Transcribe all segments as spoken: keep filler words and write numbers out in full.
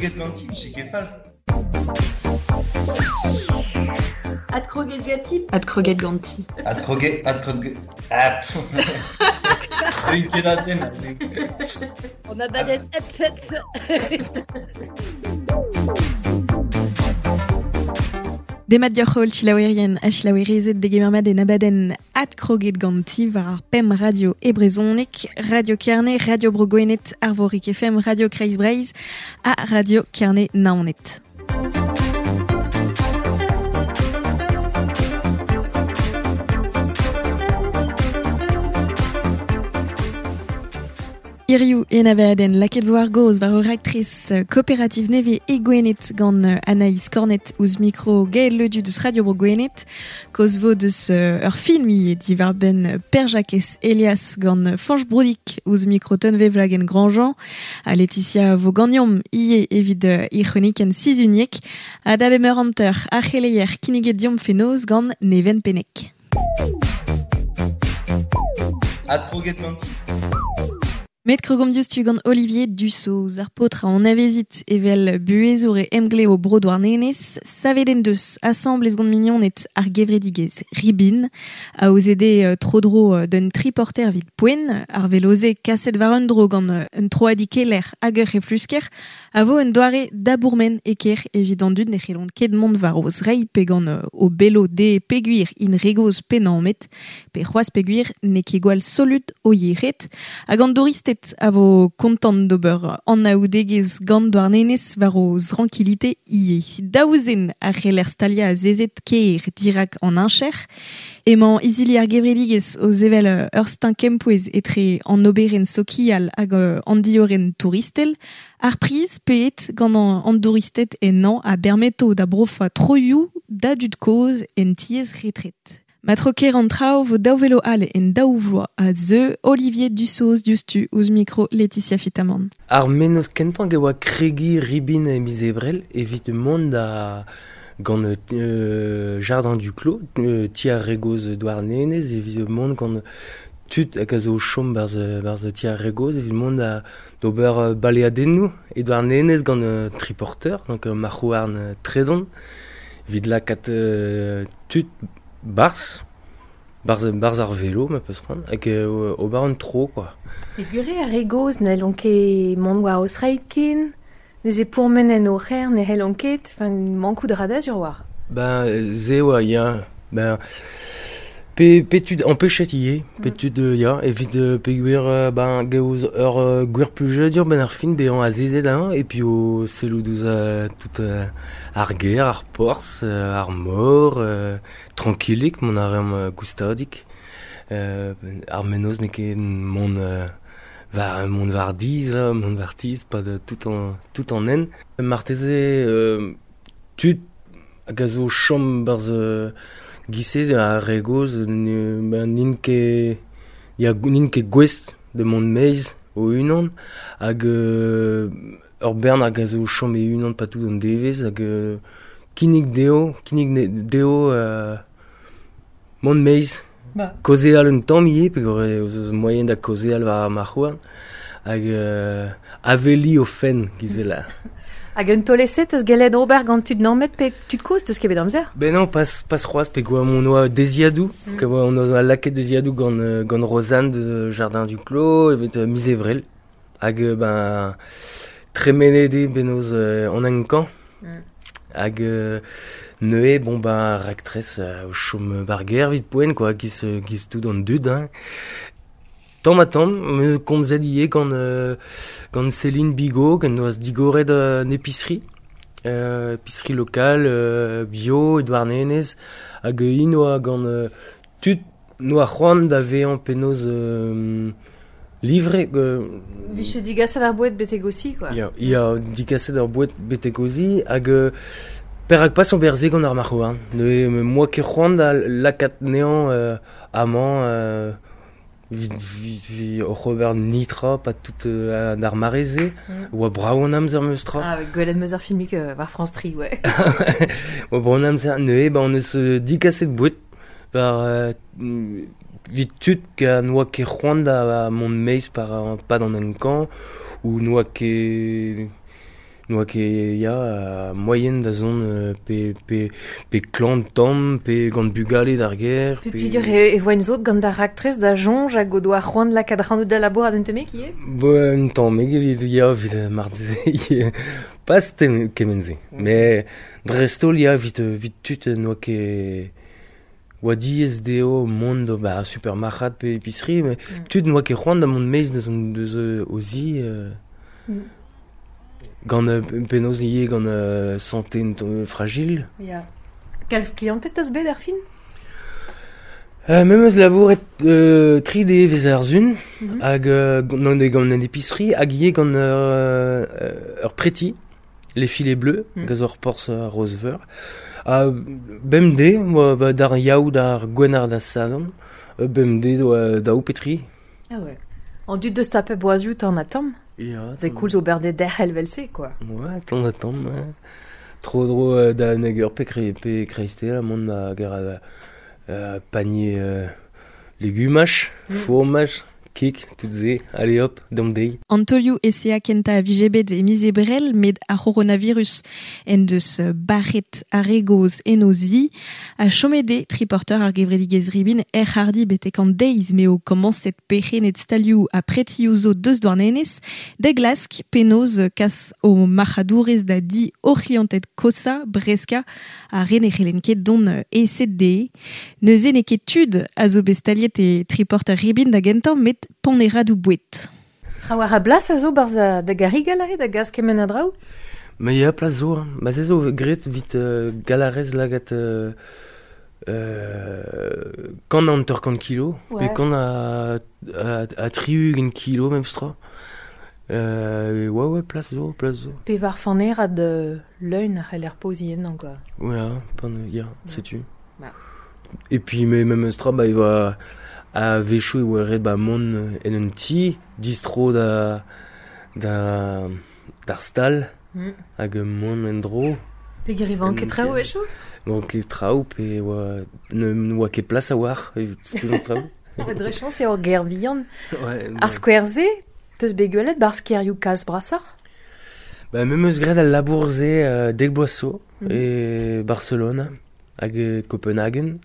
Adkroget ganti, vije ket fall. Adkroget ganti. Adkroget ganti. Adkroget, adkroget... Ah, Zeuin ket aten. On a badet ep, ep. Demat dioc'h holl chilaouerien ha chilaouerezed degemer mat en abadenn Adkroget ganti war ar pemp radio e brezhoneg, Radio Kerne, Radio Bro Gwened, Arvorig F M, Radio Kreiz Breizh ha Radio Kerne Naoned. Hiriv en abadenn lakaet vo ar gaoz war ur raktres kooperativ nevez e Gwened gant Anaïs Cornet ouzh mikro Gaël Ledu deus Radio Bro Gwened, kaoz vo deus ur film ivez diwar-benn Pêr-Jakez Elias gant Fañch Broudic ouzh mikro Tunvezh Wloagen-Grandjean, ha Laetitia vo ganeomp ivez evit he c'hronikenn sizhuniek, ha da bemp eur hanter ar c'heleier kinniget deomp fenoz gant Neven Pennec. Adkroget ganti. Met krogomp diouzhtu gant Olivier Dussoz, ar paotr a anavezit evel buhezour e emglev bro Douarnenez, savet en deus asambles gant mignoned ar gevredigezh Ribin, a aozet tro-dro d'un triporter evit poent, ar veloze kaset war un dro gant un troadikeller hag ur c'heflusker, a vo un doare da bourmen e kêr evit an dud ne c'hellont ket mont war o zreid pe gant o belo de peogwir int re gozh pe nammet, pe c'hoazh peogwir n'eo ket gwall solut o yec'hed, hag an douristed a vo kontant d'ober anaoudegezh gant Douarnenez war o zrankilite ivez. Daou zen a c'heller staliañ azezet kêr dirak an heñcher. Emañ izili ar gevredigezh o sevel ur steuñv kempouez etre an oberenn sokial hag an diorren touristel. Ar priz paeet gant an douristed ennañ a bermeto da brofañ troioù da dud kozh en tiez retret. Ma tro ker an traoù vo daou velo all en daou vloaz a zeu Olivier Dussoz diouzhtu ouzh mikro Laetitia Fitamant. Ar mennozh kentañ e oa kregiñ Ribin e miz Ebrel evit mont da gant euh, Jardin du Clos, euh, ti ar re gozh Douarnenez, evit mont gant tud hag a zo chom barzh, barzh ti ar re gozh, evit mont da d'ober baleadennoù e Douarnenez gant euh, triporteur, donc euh, marc'h-houarn euh, tredon, evit lakaat euh, tud Bars, bars, bars ar velo, ma peus c'hoant, hag euh, ober un tro, quoi. E gure ar re gozh n'hellont ket mont war o zreid ken, neuze pourmen en o c'her ne c'hellont ket, enfin, mankout a ra da sur war. Ben, ze oa, ya, ben, pe, pe tud empechet ivez, pe tud, ya, evit peogwir, ben, gaoz ur uh, gwir plijadur ben ar fin bezañ azezet hein, et puis o sellout ouzh uh, tout uh, ar gêr, ar porzh, uh, ar mor, uh, trankilik, mont a reomp uh, goustadik. Uh, ar mennozh n'eo ket mont uh, war, mont war diz, là, mont war tiz, pas de tout en, tout en hent. Marteze euh, tud hag a zo chom barzh uh, Gise ar re gozh ben n'int ket ya n'int ket gouest de mont meiz o unan hag euh, ur bern hag a zo chom e unan pa tout an devezh hag euh, kinnig dezho kinnig dezho euh, mont meiz ba. Kaozeal un tamm ivez peogwir eus moaien da kaozeal war ar marc'h-houarn hag euh, aveli o fenn giz vel. Hag un taol-eset eus gellet ober gant tud nammet pe tud kozh deus ket bet amzer? Ben non, pas, pas c'hoazh pe gwa on oa deziadoù, mm. Ke on oa lakaet deziadoù gant, gant Rosanne de Jardin du Clos, evet uh, miz Ebrel. Hag ben tremenet eo benoz uh, an enkañ. Mm. Hag uh, neuze, bon ben raktres uh, o chom bar gêr evit poent, quoi, giz, giz tout an dud, hein. Tamm ha tamm, me komzet ivez gant, euh, gant Céline Bigot, gant noaz digoret euh, an épicerie, euh, épicerie locale, euh, bio, e Douarnenez, hag int oa gant euh, tud noa c'hoant da vezañ penaos euh, livre... Euh, Vije digaset ar boued betek ozi, quoi. Ya, ya, digaset ar boued betek ozi, hag euh, perak pas ober se gant ar marc'h-houarn. Neuze, moi ket c'hoant da lakaat nezañ euh, amañ... Euh, vi, vi, vi oc'h ober nitra, pas tout euh, an ar mare-se, mm. Oa brav an amzer meus tra. Ah, gwelet meus ar filmik euh, war France Tri, ouais. Oa brav an amzer, neuze, ba on eus euh, digaset boued, par euh, vit tud ka n'oa ket c'hoant da mont meiz par, pas d'an enkañ, ou n'oa ket Noa ket ya uh, moyen da zon euh, pe, pe, pe klan tamm, pe gant bugale d'ar ger. Pe peogwir e, e voa zot gant ar raktres da soñj hag o doa c'hoant lakaat ac'hanout da labourat un tammig ivez? Bo, un tammig evit ya evit marteze pas kement-se. Mm. Mais dreist-holl ya evit, evit tud noa ket oa diaes dezho mont ba supermarc'had pe épicerie, mais mm. tud noa ket c'hoant da mont maez deus, deus o zi. Euh, mm. Gant euh, penaos ivez gant euh, santé euh, fragile. Ya. Kalz klianted teus bet ar fin? Euh, me 'meus labouret euh, tri devezh ar sun, mm -hmm. hag euh, gant, gant an épicerie, hag ivez gant ur, ur preti, les filets bleus, mm. gant ur porzh Rozveur. Ha bemdez, oa ba, d'ar yaou d'ar gwener da sadorn, bemdez oa daou pe tri. Ah ouais. An dud deus tapet boazioù tamm ha tamm? Ya. C'est koulz ober de derc'hel vel-se, quoi. Ouais, tamm ha tamm, ouais. Tro dro euh, da nag ur pe, kre, pe kreiste, la mont da ger euh, panier euh, legumaj, mm. fromaj, kik, tout se, allez hop, dam deiz. An taolioù E C A kenta a vije bet e miz Ebrel, met ar c'horonavirus en deus barret ar re gozh en o zi, ha chomet eo triporteur ar gevredigezh Ribin er c'harrdi betek an deiz m'eo komañset perc'henned stalioù ha pretioù zo deus Douarnenez, da glask penaos kas o marc'hadourezh da di o c'hlianted kosañ, breskañ, ar re ne c'hellent ket dont aeset dezhe. Neuze n'eo ket tud a zo bet staliet e triporteur Ribin da gentañ, met paneradoù boued. Trawalc'h a blas a zo 'barzh da garrigell aze da gas kement a draoù? Ma ya, plas zo, hein. Ma se zo graet evit euh, galarez lagat euh, euh, kant hanter-kant kilo, Ouais. pe kant a, a, a tri-ugent kilo memestra. Euh, ouais, ouais, plas zo, plas zo. Pevar fanerad euh, leun a c'heller poziñ ennañ, quoi. Ouais, hein, pan, ya, setu. Bah. Et puis mais memestra, bah, il va a-wechoù e oa ret ba mont en un ti, distro da, da, d'ar stal, Mm. hag mont en-dro. Peogwir e vanke En traoù ti. a-wechoù? Manke traoù pe oa ne oa ket plas a-walc'h evit tout an traoù. Dre chañs eo ur gêr vihan. Ouais, Ar skouer-se, teus bet gwelet 'barzh kêrioù kalz brasoc'h? Ba, me 'meus graet al labour-se euh, dek bloaz zo, Mm. e Barcelona hag e Copenhagen.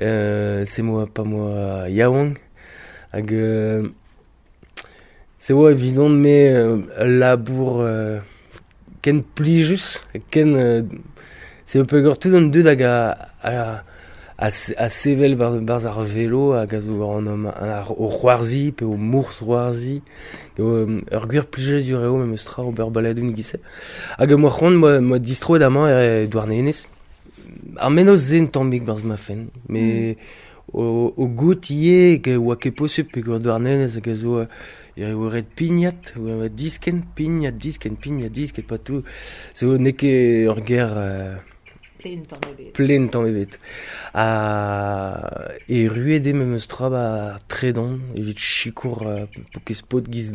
Euh, se moa pa moa yaouank hag euh, se oa evidon me euh, labour euh, ken plijus, ken euh, se eo peogwir tout an dud hag a, a, a, a sevel bar, barzh ar velo hag a zo an, an, ar, o c'hoarzhiñ pe o mousc'hoarzhiñ. Eo ur gwir plijadur eo memestra ober baladenn e-giz-se. Hag moa c'hoant moa, moa distroet amañ e Douarnenez. Ar mennozh-se un tammig 'barzh ma fenn, mais o, o goût ivez ke oa ket posupl peogwir Douarnenez hag a zo e eo ret pignat, oa diskenn, pignat, diskenn, pignat, diskenn, pas tout. Zo n'eo ket ur gêr euh, Plen tamm ebet. Plen tamm ebet. Ha erruet eo memestra ba tredan evit sikour euh, paourkaezh paotr giz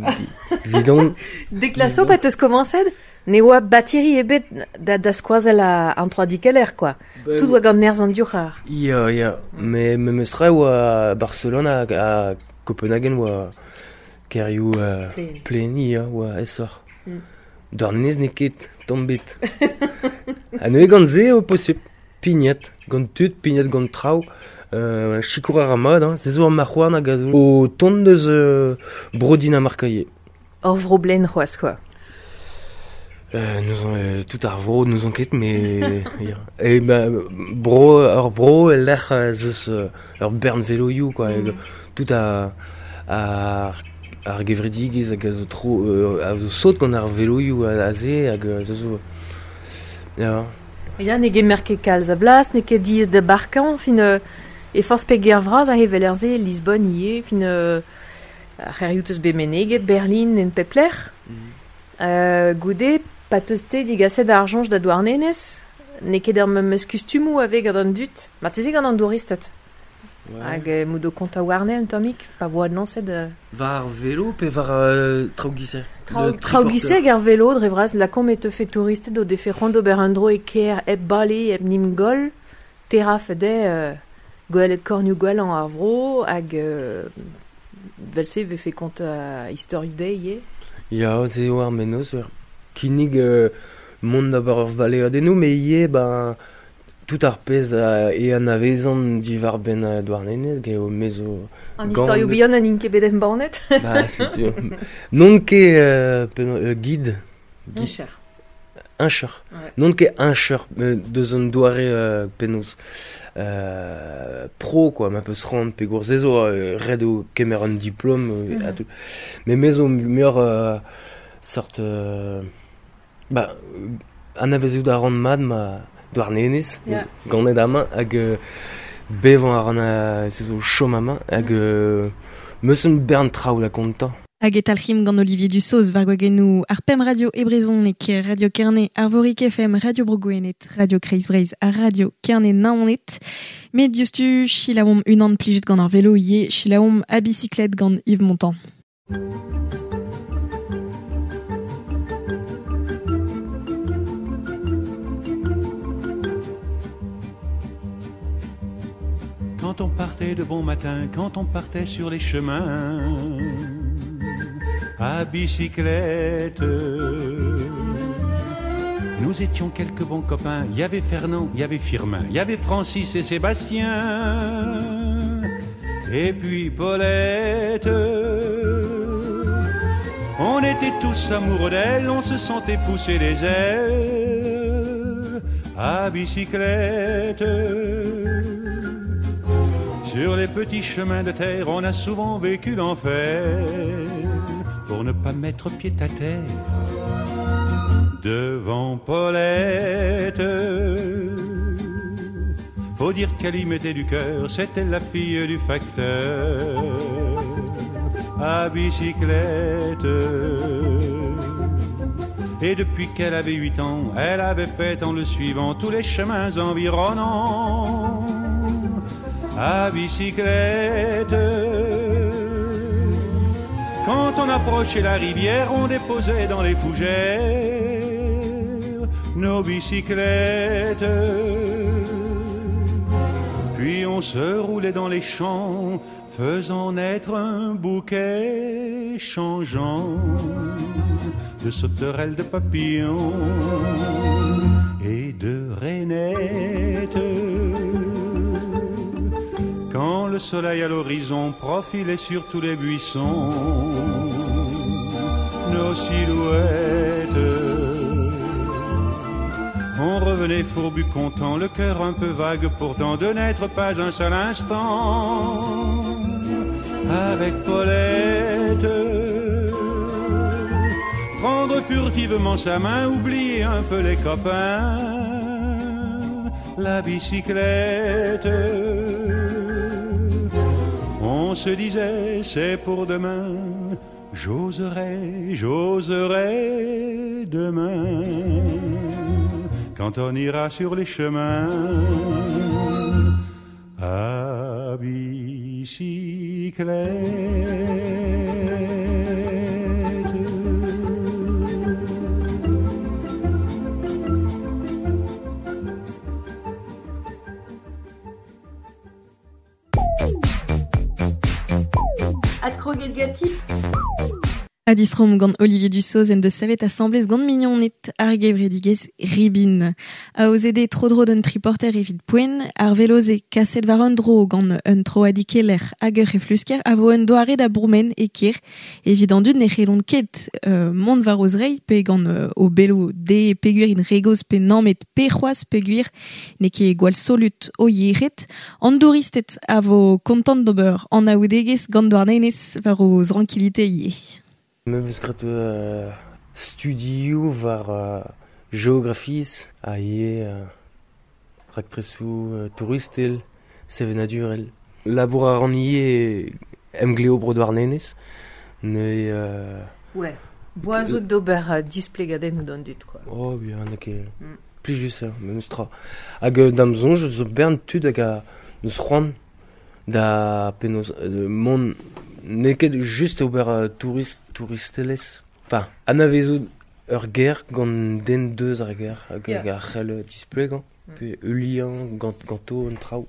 vidon. Dek laso pa teus komañset, ne oa batiri ebet da, da skoazell a, an troadikeller, quoi. Tout oa gant nerzh an divc'har. Ya, ya. Mais memestra oa Barcelona hag a Copenhagen oa kêrioù euh, Plen. plen, ya, oa aesoc'h. Mm. Douarnenez n'eo ket tamm ebet. Ha neuze gant se eo posupl. Pignat, gant tud, pignat gant traoù. Euh, sikour a ra mat, hein. Se zo ar marc'h-houarn hag a zo o tont deus euh, bro Dinamarca ivez. Ur vro blen c'hoazh, quoi. Euh, nous en, euh, tout ar vro n'ouzon ket, mais ya. E ba, bro, ur bro e lec'h ez eus euh, ur bern veloioù, quoi. Mm. Tout a, ar, ar gevredigezh hag a zo tro, euh, a zo sot gant ar veloioù aze hag a zo... Ya. Ya, ne gemer ket kalz a blas, n'eo ket diaes da barkañ, fin euh, e forzh pe gêr vras a hevel er-se, Lisbonne ivez, fin euh, ar c'hêrioù teus bet meneget, Berlin en pep lec'h. Mm. Euh, goude, pa teus-te digaset ar soñj da Douarnenez, n'eo ket ar memes kustumoù a vez gant an dud, marteze gant an douristed. Ouais. Hag euh, m'o do kontañ warne un tammig, pa vo adlañset euh, War ar velo pe war euh, traoù giz-se? Traoù traoù giz-se hag ar velo, dre vras, lakaomp e teufe touristed o defe c'hoant d'ober un dro e kêr hep bale, hep 'n em goll, terraf dezhe euh, gwelet kornioù gwellañ ar vro, hag euh, vel-se vefe kontañ istorioù dezhe ivez. Ya, se eo ar mennozh, ouais. kinnig euh, mont d'ober ur baleadennoù, me ivez, ben, tout ar pezh euh, e anavezan diwar benn euh, Douarnenez, ge o mezo... An istorioù bihan an int ket bet embannet. Ba, setu. Non ket euh, penaos, euh, guide. Guide. Incheur. Ouais. Non ket incheur, euh, deus an doare euh, penaos euh, pro, quoi, ma peus rand pe gourzezo, euh, red o kemer un diplôme, euh, Mm. a tout. Mais mezo muioc'h euh, sort... Euh, ba, anavezout a ran mat ma Douarnenez, Yeah. ganet amañ, hag euh, bevañ a ran a, se zo chom amañ, hag euh, meus un bern traoù da kontañ. Hag e talc'him gant Olivier Dussoz war gwagennoù ar Pem Radio e Brezhoneg, Radio Kerne, Arvorik F M, Radio Bro Gwened, Radio Kreiz Breizh ha Radio Kerne Naoned. Met diouzhtu selaouomp unan plijet gant ar velo ivez, selaouomp a bicyclette gant Yves Montand. Quand on partait de bon matin, quand on partait sur les chemins, à bicyclette, nous étions quelques bons copains. Il y avait Fernand, il y avait Firmin, il y avait Francis et Sébastien, et puis Paulette. On était tous amoureux d'elle, on se sentait pousser les ailes à bicyclette. Sur les petits chemins de terre, on a souvent vécu l'enfer pour ne pas mettre pied à terre devant Paulette. Faut dire qu'elle y mettait du cœur, c'était la fille du facteur à bicyclette. Et depuis qu'elle avait huit ans, elle avait fait en le suivant tous les chemins environnants à bicyclette. Quand on approchait la rivière, on déposait dans les fougères nos bicyclettes. Puis on se roulait dans les champs, faisant naître un bouquet changeant de sauterelles, de papillons et de rainettes. Quand le soleil à l'horizon profilait sur tous les buissons nos silhouettes, on revenait fourbu content, le cœur un peu vague pourtant de n'être pas un seul instant avec Paulette. Prendre furtivement sa main, oublier un peu les copains, la bicyclette. On se disait, c'est pour demain, j'oserai, j'oserai demain, quand on ira sur les chemins à bicyclette. A disrom gant Olivier Dussoz en deus savet asamblez gant mignoned ar gevredigezh Ribin. A ozede tro-dro d'un triporter evit poent, ar veloze kaset war un dro gant un troadikeller hag ur reflusker a vo un doare da bourmen e kêr evit an dud ne c'hellont ket euh, mont war o zreid pe gant euh, o belo de peogwir int re gozh pe nammet pe c'hoazh peogwir n'eo ket gwall solut o yec'hed. An douristed a vo kontant d'ober an aoudegezh gant Douarnenez war o zrankilite ivez. Me beus graet euh, studioù war euh, geografiezh ha ivez euh, raktresoù euh, touristel, sevenadurel. Labour a ran ivez emgleo bro Douarnenez, neuze... Euh, Ouais, boazout d'ober euh, displegadennoù d'an dud, quoi. Oh, bien, n'eo ket... Mm. Plijus eo, memes tra. Hag euh, d'am soñj zo bern tud hag a neus c'hoant da penaos euh, mont... N'eo ket just ober euh, tourist, touristelezh. Enfin, anavezout ur ger gant den deus ar ger, hag Yeah. ar c'hell displegañ, Mm. pe heuliañ gant, ganto an traoù.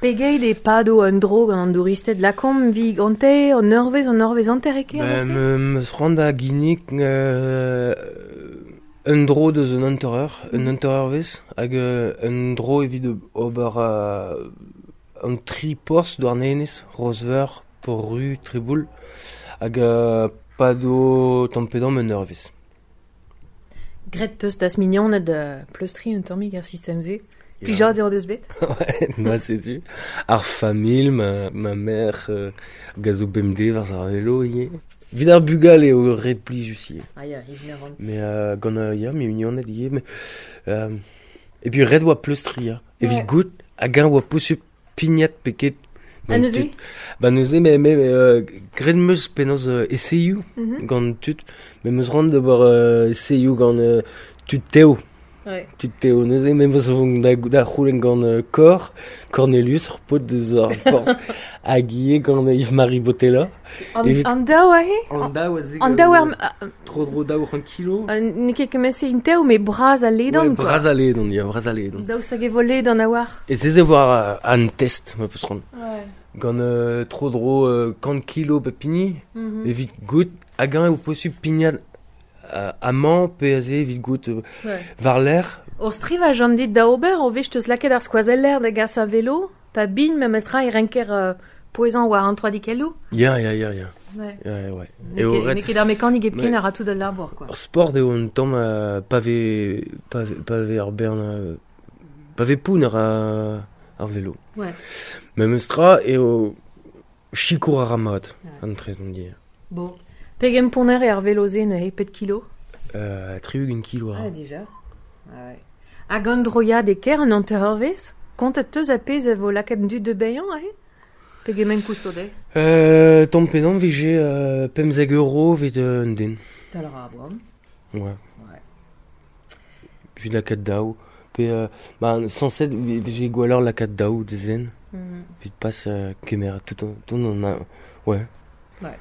Pegeit e pado un dro gant an douristed lakomp vi gante an eurvezh an eurvezh hanter e kêr Ben, aussi me, meus c'hoant da ginnig euh, Un dro deus un hanter-eur, un hanter-eurvezh, hag euh, un dro evit ober euh, un tri porzh Douarnenez, Roseveur, Port-Ru, Treboul, hag euh, pado tamm-pe-damm un eurvezh. Gret teus das mignoned uh, pleustri un tammig ar sistem-se. Plijadur deus bet. Ouais, ma setu. Ar familh, ma, ma mère, euh, gazo bemdez war ar velo ivez. Vid ar bugal eo re plijus ivez. Ah ya, ivez a ran. Mais euh, gant euh, ya, me mignoned ivez. Mais, euh, et puis ret oa pleustri, ya. Evit Ouais. goût, hag eñ oa posupl pignat peket. Ha neuze? Ba neuze, me, me, euh, graet 'm eus penaos euh, eseioù Mm -hmm. gant tud. Me 'm eus c'hoant d'ober euh, eseioù gant euh, tud tev. Ouais. Tud tev neuze, me 'm eus vont da, da c'houlenn gant euh, Cor, Cornelius, ur paotr deus ar porzh, hag ivez gant Yves-Marie Botella. An, Evit- an daou ahe? An daou a ze An daou ar... Tro dro daou c'hant kilo. Uh, n'eo ket kement-se int tev, mais bras a ledan, Ouais, quoi. bras a ledan, ya, bras a ledan. Daoust hag e vo ledan a war. E se ze war an test, ma peus c'hoant. Ouais. Gant euh, tro dro euh, kant kilo pe pini, Mm -hmm. evit goût hag eñ eo posupl pignat euh, amañ pe aze evit goût euh, Ouais. war l'air. Ur striv a jom dit da ober, o vech teus lakaet ar skoazeller da gas a velo, pa bin memes tra e renker euh, pouezañ war an troadikelloù. Ya, ya, ya, ya. Ouais. Ya, ouais. N'eo Eo ket, ret n'eo ket ar mekanik hepken Ouais. a ra tout al labour, quoi. Ar sport eo un tamm euh, pa vez pa vez, pa vez ar bern euh, pa vez poun ar, ar velo. Ouais. Memes tra eo sikour ar mat, Ouais. an tre on dit. Bon. Pegen ponner eo ar velo-se neuze, pet kilo? Euh, tri-ugent kilo Ah, ar. dija. Ah, ouais. Hag an droiad e ker an hanter-eurvezh, kontet teus a pezh a vo lakaet an dud de bailhañ, aze? Pegement kousto dezhe? Euh, tamm pe damm vije euh, pemzek euro evit euh, un den. Tal a ra boan. Ouais. Ouais. Evit lakaat daou. Pe, euh, ba, sañset vije gwelloc'h lakaat daou da zen. Mm -hmm. Evit pas euh, kemer tout an, tout an a, ouais. Ouais.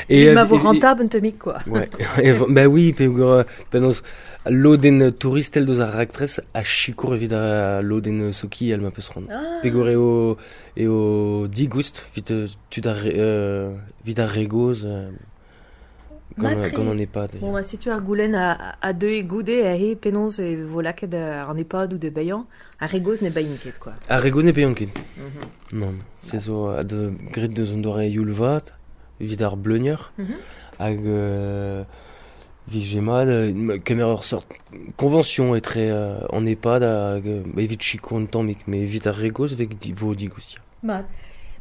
Et, Et ma vo euh, et- rentable un tammig, quoi. Ouais. Et, bah oui, pe euh, penaos lodenn touristel deus ar raktres a sikour evit ar lodenn sokial ma peus c'hoant. Ah. Peogwir eo eo digoust evit euh, tud ar euh, evit ar re gozh euh, gant, Matre. gant an EHPAD. Bon, bah, setu ar goulenn a, a deux e goude aze penaos e vo lakaet ar EHPAD ou de bailhañ, ar re gozh ne bailhint ket, quoi. Ar re gozh ne bailhont ket. Mm -hmm. Non, se zo a de graet deus an doare youl vat evit ar bleunier Mm -hmm. hag euh, vije mat euh, kemer ur sort convention etre euh, an EHPAD hag euh, evit sikour un tammig, mais evit ar re gozh vez di, vo digoust. ya. Mat.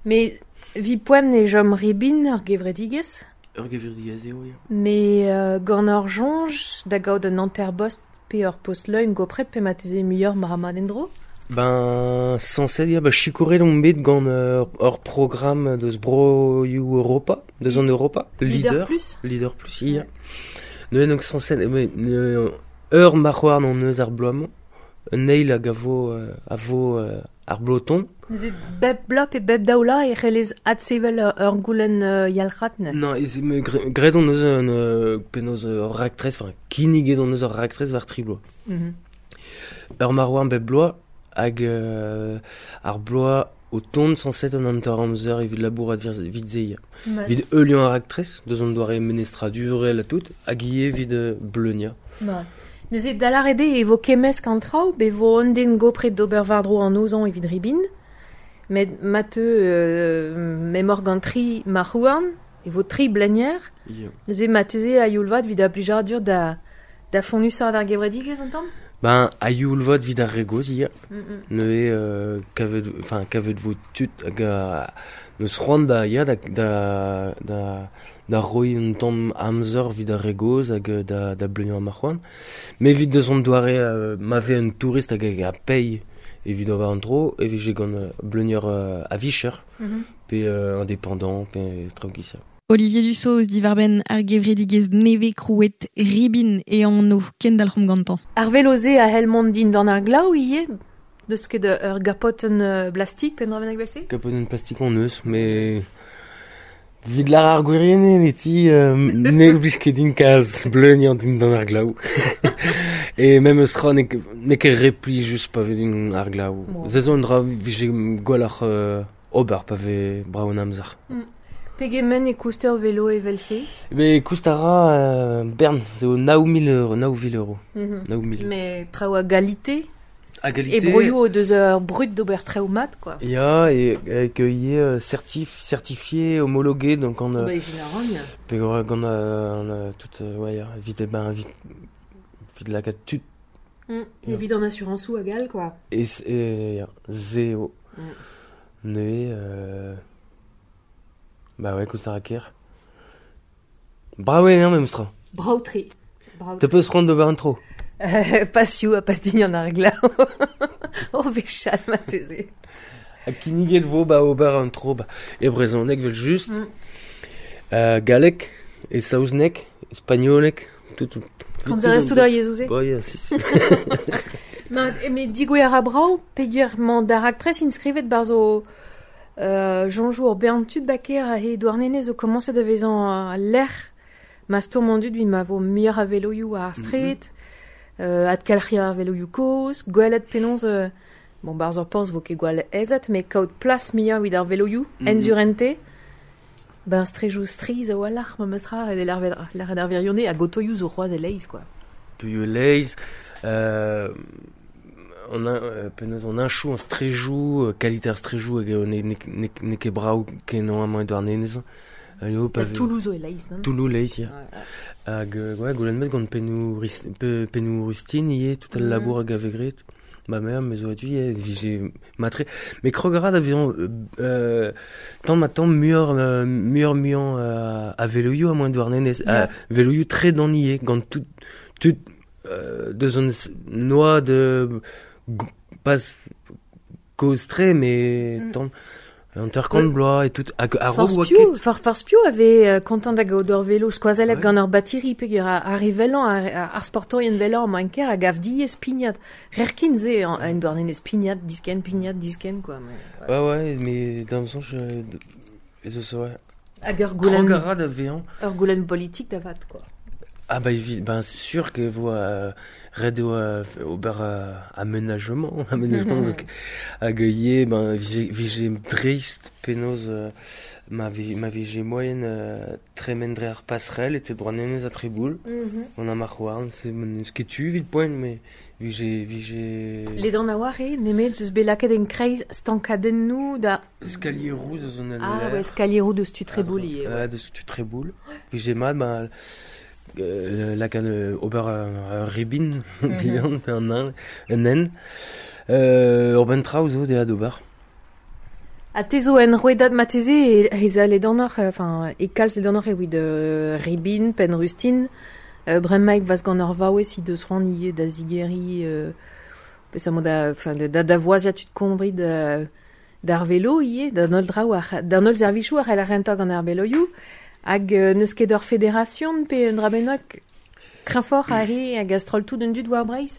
Mais vi poem ne jom ribin ur gevredigezh, Ur gevredigezh eo, ya. mais euh, gant ur soñj da gaout un hanter-bost pe ur post-leun gopret pe mateze muioc'h mar mat en-dro? Ben, sañset ya, ba sikouret on bet gant euh, ur programme deus broioù Europa, deus an Europa, Leader Leader, plus? Leader plus, ya. Neuze donc sañset, mais, euh, ur marc'houarn an eus ar bloaz-mañ, un eil hag a vo, euh, a vo euh, ar bloton. Neuze bep bloaz pe bep daoula e c'hellez adsevel ur, ur goulenn euh, yalc'had ne? Non, ez, me, gre- graet on eus un, euh, penaos ur raktres, enfin, kinniget on eus ur raktres war tri bloaz. Mm -hmm. Ur marc'houarn bep bloaz, hag euh, ar bloaz o tont sañset an hanter amzer evit labourat vir- evit se ya. Mat. Evit heuliañ ar raktres, deus an doare menestradurel ha tout, hag ivez evit euh, bleuniañ. Mat. Neuze dalar eo e vo kemmesk an traoù, be vo un den gopret d'ober war-dro an ozañ evit ribin, met ma teu euh, memor gant tri marc'houarn, e vo tri blenier, Ya. neuze ma teze a youl vat evit a blijadur da, da fonusaat ar gevredigezh an tamm? Ben, a youl vat evit ar re gozh, ya. Mm -mm. Neuze, euh, kavet, enfin, kavet vo tud hag a, neus c'hoant da, ya, da, da, da, da roiñ un tamm amzer evit ar re gozh hag euh, da, da bleuniañ ar marc'houarn. Mais evit deus an doare euh, ma vez un tourist hag hag a paye evit ober an dro, e vije gant euh, bleunier euh, a vicher, Mm -hmm. pe euh, indépendant, pe traoù giz-se. Olivier Dussault divarben ar gevredigezh neve krouet ribin e anv kendalc'homp gantañ. Ar velo-se a c'hell mont din d'an ar glav ivez, deus ket ur gapotenn euh, plastik pe dra bennak evel-se? Kapotenn plastik on eus, mais Vid lar ar gwirienn e ti euh, ne blij ket din kalz bleuniañ din d'an ar glav. E memes tra n'eo ket- n'eo ket re plijus pa vez din ar glav. Bon. Se zo un dra vije gwelloc'h euh, ober pa vez brav an amzer. Pegement e koust ur velo evel-se? Be koust a ra euh, bern, zo nao mil euro, nao vil euro. Mm -hmm. Nao mil. Mais traoù a galite. A galite. E broioù o deus ur brud d'ober traoù mat, quoi. Ya, e hag ivez certif, certifié, homologué, donc on... Bah, généralement. Pe gant euh, tout, ouais, ya, evit, ben, evit, evit lakaat tud. Mm. Evit an assuransoù hag all, quoi. E, e ya, zeo. Mm. Neuze, euh... Bah ouais, koust a ra ker. Brav eo, hein, memestra. Brav-tre. Te peus c'hoant d'ober un tro? Euh, pas sioù ha pas din an ar glav. O vechal marteze. Ha kinniget vo ba ober un tro ba. E brezhoneg vel just. Mm. Euh, galleg, e saozneg, spagnoleg, tout... tout Komz a rez tout ar yezhoù-se? Bah, ya, si, si. Ma, met digouer a brav, peogwir mañ d'ar raktres inskrivet barzh o euh, Jonjou ur bern tud baker a he Douarnenez zo komañset da vezañ lec'h ma stourm an dud evit ma vo muioc'h a veloioù ar straed, Mm-hmm. euh, adkelc'hiañ ar veloioù kozh, gwelet penaos, euh, bon, barzh ur porzh vo ket gwall aezet, met kaout plas muioc'h evit ar veloioù, Mm-hmm. enzurente, ben strejoù strizh a-walc'h ma meus ra, ret eo lâret ar wirionez hag otoioù zo c'hoazh e-leizh, quoi. Otoioù e-leizh, euh, on a, euh, penaos on hinchoù an strejoù, euh, kalite ar strejoù hag eo ne, ne, ne, ne ket brav kenañ amañ e Douarnenez. Eo, pa Ha Toulouse zo e-leizh, non? Toulouse e-leizh, ya. Ouais, ouais. Hag, euh, ouais, goulenn met gant pennoù ris-, pe, pennoù rustin ivez, tout al Mhm. labour hag a vez graet. Ma mère, me zo a-du ivez, vije matre. Mais krog a ra da vezañ, euh, euh, tamm ma tamm muioc'h, euh, muioc'h muiañ, euh, a veloioù amañ e Douarnenez. Ya. A veloioù tre dan ivez, gant tout, tout, euh, deus an noa de pas kozh-tre, mais Mm. tamm un hanter-kant Ouais. bloaz et tout. Hag a-raok Force oa piv, ket. for, force piv avait euh, kontant da gaout ur velo skoazellet Ouais. gant ur batiri peogwir ar, ar re velañ, ar, ar, ar sportourien velañ amañ en kêr a gav diaes pignat. Rerkin se en, en Douarnenez pignat, disken, pignat, disken, quoi. Mais, ouais. Ouais, ouais, mais dans le sens, je, ez eus, ouais. Hag ur goulenn, Krog a ra da vezañ. ur goulenn politik da vat, quoi. Ah bah, evi-, ben sûr que vo euh, ret eo euh, ober euh, aménagement, aménagement donc hag ivez, ben vije, vije dreist penaos euh, ma vi, ma vije moaien euh, tremen dre ar passerelle e te Douarnenez a Treboul. Mm-hmm. On a marc'h-houarn, c'est n'eus ket tu evit poent, mais vije, vije Ledan a oar eo, nemet eus bet lakaet en kreiz stankadennoù da... Eskalieroù eus an Ah L R. ouais, eskalieroù deus tu Treboul ivez, ouais. Ouais, deus tu Treboul. Vije mat, ben, euh, lakaat euh, ober ur, ur ribin, Mhm. bihan, pe un un, un en. Euh, ur benn traoù zo dezhañ d'ober. Ha te zo en rouedad mateze e ez a ledanoc'h, enfin, e kalz ledanoc'h evit euh, ribin, penn rustin, euh, bremaik vaz gant ur vaouez he deus c'hoant ivez da zigeriñ, euh, peseurt da, enfin, da, da, da voazia tud kombri da, d'ar velo ivez, d'an holl draoù ar, d'an holl servijoù ar c'hell ar rentañ gant ar veloioù, hag euh, n'eus ket ur fédération pe un dra bennak kreñvoc'h a re hag a stroll tout un dud war Breizh?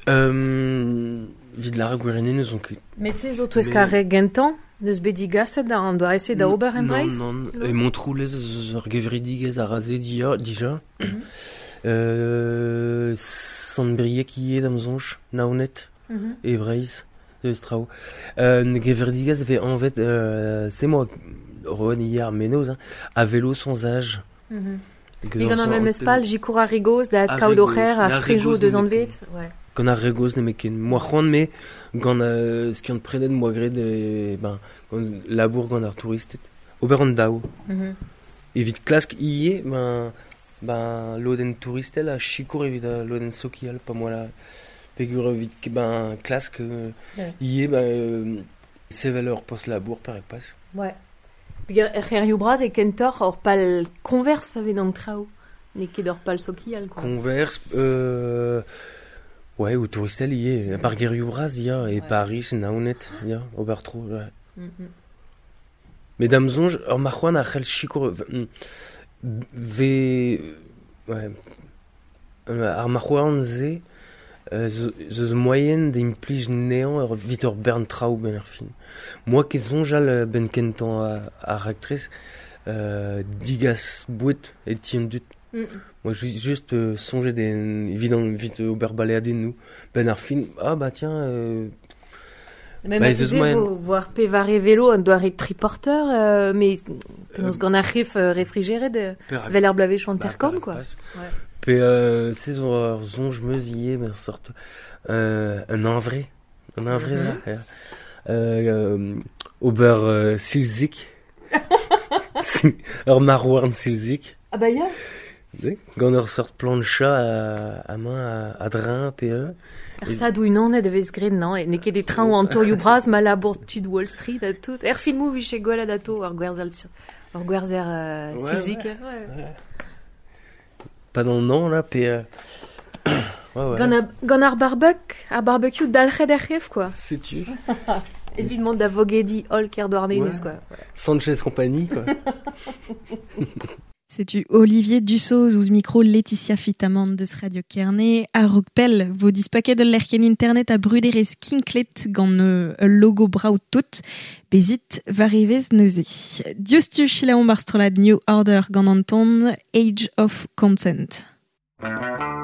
Euh, Evit lâret gwirion n'eus on ket. Met te zo touesk Mais- ar re gentañ, n'eus bet digaset da an doare se da ober en Breizh? Non, non, Non. E Montroulez eus ur gevredigezh a raze dia, dija. Mhm. Euh, Sant-Brieg ivez da'm soñj, Naoned Mhm. e Breizh, eus traoù. Euh, gevredigezh vez anvet, euh, c'est moi, Rowan ivez ar menoz, hein, à vélo sans âge. Mhm. Que Me dans gant ar son memes pal, jikour ar re gozh da Ar adkaout re o c'her gozh, a ar re strejoù gozh deus nemetken. anvet. Ouais. Gant ar re gozh nemetken. Moa c'hoant me, gant euh, skiant predet moa graet, e, ben, gant labour gant ar touristed. Ober an daou. Mhm. Evit klask ivez, ben, ben, lodenn touristel a sikour evit a lodenn sokial, pa moa la peogwir evit ket, ben, klask, euh, Ouais. ivez, ben, euh, sevel ur post labour per e pas. Ouais. Peogwir er c'hêrioù bras e kentoc'h ur pal converse a vez d'an traoù. N'eo ket ur pal sokial, quoi. Converse, euh, ouais, ou touristel ivez, par gerioù bras, ya, e Ouais. Paris, Naoned, ya, ober tro, ouais. Mhm. Mais da'm soñj, ur marc'hoant a c'hell sikour, v-, ve, ouais, ar marc'hoant se, euh, zo, zo moaien da implij nezañ ur vit ur bern traoù ben ar fin. Moi ket soñjal, euh, ben kentañ a, ar raktres, euh, digas boued e ti an dud. Mm. Moi, ju-, juste, euh, soñjet en, evit an, evit ober baleadennoù. Ben ar fin, ah bah tiens, euh, Mais ma vo voir pe var velo an doare triporteur, euh, mais penaos gant ar ref euh, réfrigéré de vel ar blavech an terkorn, quoi. Ouais. Pe euh, se zo ur zonj meus ivez, mer sort euh, un anvre, un anvre, mm -hmm. là. Euh, euh, ober euh, silzik. Ur marouarn silzik. Ah bah ya. Gant ur sort plancha a, a main a, a drain, pe euh. Er stad ou unan e vez graet, non, e n'eo ket e traoù an tourioù bras ma labour tud Wall Street a tout. Er filmoù vije gwell ato ur gwerzal ur gwerzer euh, ouais, silzik. Ouais. Ouais. Pas dans le nom, là, pe... Euh... ouais, ouais. Gant, a, gant ar barbecue, ar barbecue dalc'het er c'hef, quoi. Sais-tu. Évidemment da vogedi hol kerdouarnenez, ouais. quoi. Ouais. Sanchez Compagnie, quoi. Setu Olivier Dussault ouzh micro Laetitia Fitamant deus Radio Kerne a Rockpell vo dispaket ul lec'hienn internet a bruderez kinklet gant ul logo brav tout bezit war evezh neuze. Diouzhtu selaomp ar strollad New Order gant an ton Age of Consent. Won't you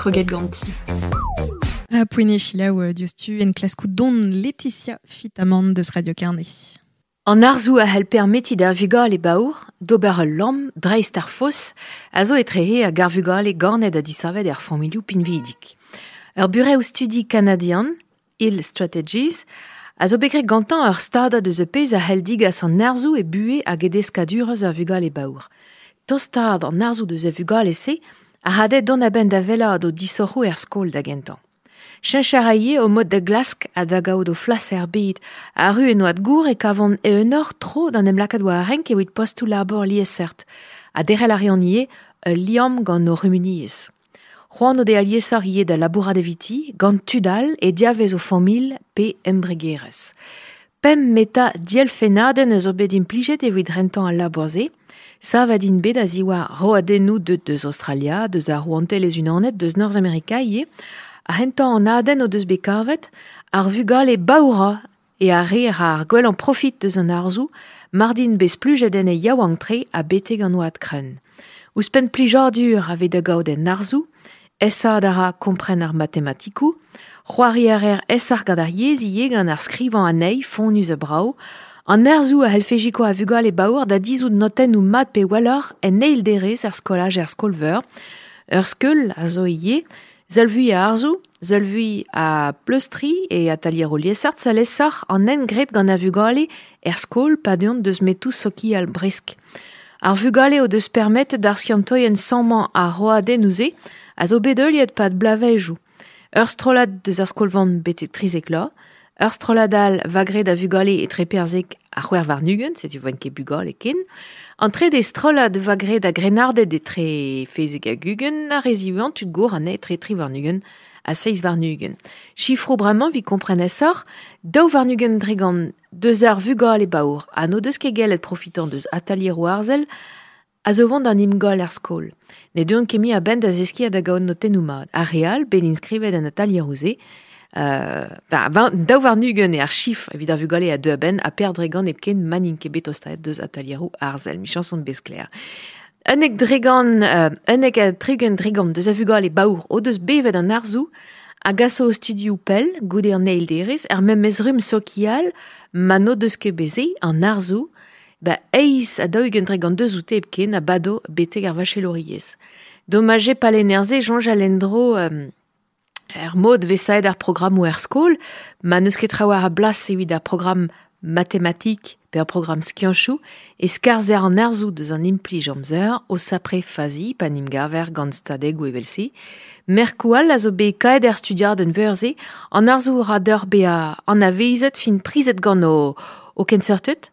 Kroget ganti. A poene chilaou diostu en klaskou don Laetitia Fitamant deus Radio Carnet. An arzou a hell permeti d'ar vugale baour, d'ober ul lamm dreist ar fos, a zo etrehe hag ar vugale ganet ha disavet er familhoù pinvidik. Ur burev studi kanadian, Hill Strategies, a zo bet graet gantañ ur stadad eus e pezh a hell digas an arzou e buhe hag e deskadurezh ar vugale baour. Tostaat an arzou deus e vugale-se a hadet dont a-benn da wellaat o disoc'hoù er skol da gentañ. Cheñch a raie o mod da glask ha da gaout o flas er bed. Arru en oad gour e kavont eeunoc'h tro d'an em lakaat war ar renk evit postoù labour liesseurt. Ha derc'hel a reont ivez ul liamm gant o c'humuniezh. C'hoant o de aliesoc'h ivez da labourat eviti, gant tud all e diavez o familh pe embregerezh. Pemp meta dielfennadenn a zo bet implijet evit rentañ al labour-se. Savet int bet a-ziwar roadennoù deut deus Australia, deus ar Rouantelezh-Unanet, deus Norzhamerika ivez. A hentañ an adenn o deus bet kavet, ar vugale baoura e ar re ar gwellañ profit deus an arzou, mardin bez splujet en e yaouank-tre ha betek an oad krenn. Ouzhpenn plijadur a vez da gaout en arzou, aesaat a ra kompren ar matematikoù, c'hoari a reer aesoc'h gant ar yezh ivez gant ar skrivañ anezhi fonnus ha brav, an arzou a c'hellfe sikour a vugale baour da dizout notennoù mat pe welloc'h en eil derez er skolaj er skol-veur, ur skeul a zo ivez, Seul-vui a arzou, seul-vui a pleustri e atalier o liesseurt, seul aesoc'h an hent graet gant ar vugale er skol pa deuont deus metoù sokial bresk. Ar vugale o deus permetet d'ar skiantoien sammañ ar roadennoù-se a zo bet heuliet pad bloavezhioù. Ur strollad deus ar skol-vamm betek trizek vloaz, ur strollad all va graet a vugale etre perzek ha c'hwec'h warn-ugent, setu voent ket bugale ken. An trede strollad va graet a grennarded etre fezek hag ugent, ar re ziwezhañ tud gour anezhe etre tri warn-ugent ha seizh warn-ugent. Chifroù bremañ evit kompren aesoc'h, daou warn-ugent dre gant deus ar vugale baour ha n'o deus ket gellet profitañ deus atalieroù arzel a zo vont d'an imgol er skol. Ne deuont ket mui a-benn da zeskiñ ha da gaout notennoù mat. Ar re all, bet inskrivet en atalieroù-se, Euh, ben, daou warn-ugent eo ar chifr evit ar vugale a deu a-benn ha per dre gant hepken ma n'int ket bet tostaet deus atalieroù arzel. Michañs on bet sklaer. Unnek dre gant, euh, unnek ha tri-ugent dre gant deus a vugale baour o deus bevet an arzou a gaso o studioù pell goude an eil derez er memes rumm sokial ma n'o deus ket bet se an arzou ba eizh ha daou-ugent dre gant deus oute hepken a bado betek ar vachelouriezh. Domaj eo pa lenner-se soñjal en-dro euh, er mod vesaet ar programmoù er skol, ma n'eus ket traoù a blas evit ar programm matematik pe ar programm skianchoù, e skarzher an arzou deus an implij amzer o sapre fazi pa n'im gaver gant stadegoù evel-se. Merkoù all a zo bet kaet er studiadenn veur-se, an arzou ra d'ur bezañ anavezet fin prizet gant o, o kenseurted,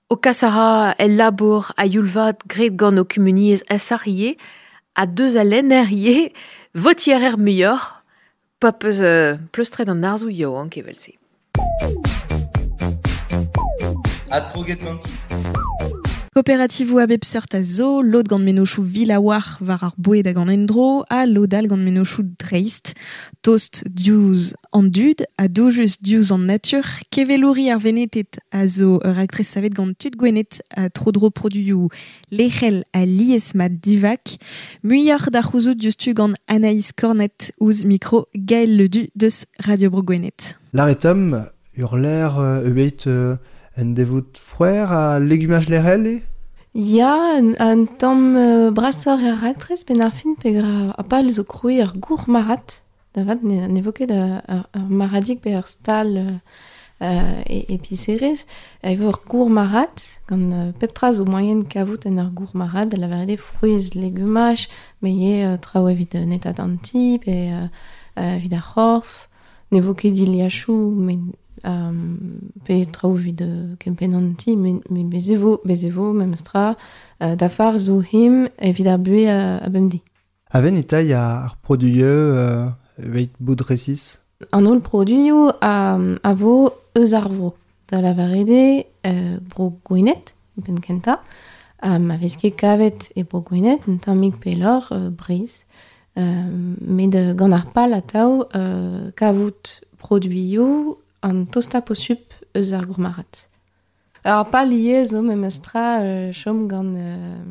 o kas a ra el labour a youl vat graet gant o kumuniezh aesoc'h ivez, ha deus al lenner ivez, votiñ a reer muioc'h, pa peus euh, pleustret an arzou yaouank evel-se. Adkroget ganti. Kooperativoù a bep seurt a zo, lod gant mennozhioù vil a-walc'h war ar boued hag an endro, ha lod all gant mennozhioù dreist. Tost diouzh an dud, ha doujus diouzh an natur, kevelouri ar Weneted a zo ur raktres savet gant tud Gwened ha tro-dro produioù lec'hel ha liesmat divak. Muioc'h da c'houzout diouzhtu gant Anaïs Cornet ouzh mikro Gaël Ledu deus Radio Bro Gwened. Laretom, ur l'air euh, ebet euh, en devout frouer a legumaj lec'hel e? Ya, un, un tamm euh, brasoc'h er raktres ben ar fin peogwir a pal zo krouiñ ur gourmarc'had. Da vat ne, ne vo ket ur, ur, ur marc'hadig pe ur stal euh, e, episerez. E vo ur gourmarc'had gant euh, pep tra zo moaien kavout en ur gourmarc'had, da lavaret eo frouezh, legumaj, met ivez euh, traoù evit euh, netat an ti pe euh, euh, evit ar c'horf. Ne vo ket dilhachoù, met euh, pe traoù evit euh, kempenn an ti, met, met bez e vo, bez e vo, memes tra, euh, dafar zo him evit ar buhez a, a bemdez. A-benn e tailh ar produioù euh, evit bout resis? An holl produioù a, a vo eus ar vro. Da lavaret eo euh, bro Gwened, penn kentañ, ha ma vez ket kavet e bro Gwened, un tammig pelloc'h, euh, Breizh. Euh, met euh, gant ar pal atav euh, kavout produioù an tostañ posupl eus ar gourmarc'had. Ar pal ivez zo memes tra euh, chom gant euh,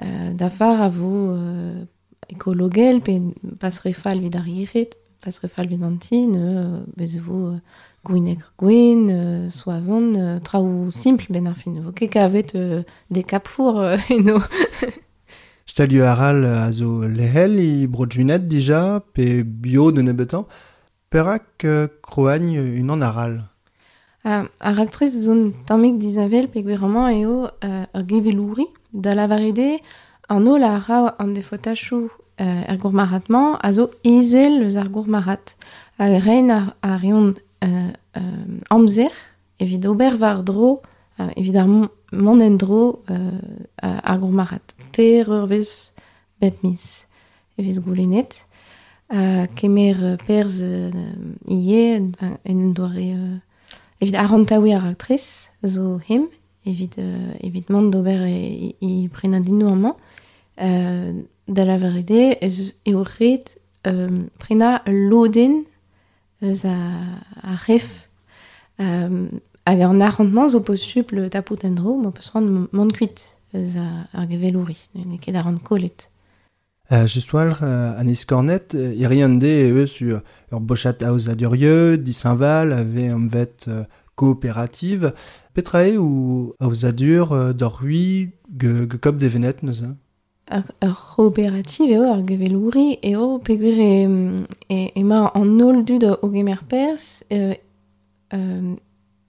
euh, dafar a vo euh, ekologel, pe pas re fall evit ar yec'hed, pas re fall evit an ti, ne, bez e vo euh, gwinegr gwen, euh, soavon, euh, traoù simpl ben ar fin. Vo ket kavet euh, des kapfour euh, eno. Stalioù aral a zo lehel i bro-Gwened dija, pe bio de nebeutañ. Perak euh, kroagn unan aral? Uh, ar aktrez zo un tammig disheñvel peogwir amañ eo uh, ur gevelouri da lavaret eo an holl a ra an defotachoù uh, er gourmarc'had-mañ a zo ezel eus ar gourmarc'had. Hag rein ar, ar reont uh, uh, amzer evit ober war-dro, uh, evit ar mont en-dro uh, ar gourmarc'had. Teir eurvezh bep miz e vez goulennet. Uh, kemer perzh uh, ivez en un doare... Uh, evit arc'hantaouiñ ar aktrez zo hem, evit, euh, evit mont d'ober e, e prenadinoù amañ. Euh, da lavaret eo ez eo ret euh, prenañ ul lodenn eus a, ar c'hef. Euh, hag an arc'hant-mañ zo posupl tapout en-dro, ma peus c'hoant mont kuit eus ar gevelouri, n'eo ket arc'hant kollet. Uh, just war, uh, Anaïs Cornet, uh, iri an de eus ur, ur bochat aozadurieu, disheñval, ave anvet uh, kooperative. Petra eo ou aozadur uh, d'or hui ge, ge kop devenet neuze? Ur, ur c'hooperative eo, ur gevelouri eo, peogwir e, e, emañ an holl dud o gemer perzh, euh, euh,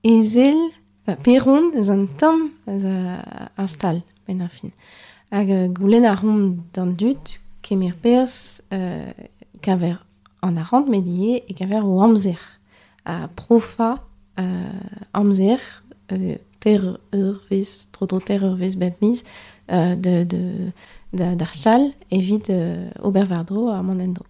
ezel, enfin, peron eus an tamm eus ar stal, benn ar fin. Hag goulenn a ran d'an dud kemer perzh euh, keñver an arc'hant, met ivez e keñver o amzer. Ha profañ euh, amzer, euh, teir eurvezh, tro-dro teir eurvezh bep miz, euh, de, de, da, d'ar stal evit euh, ober war-dro ar mont en-dro.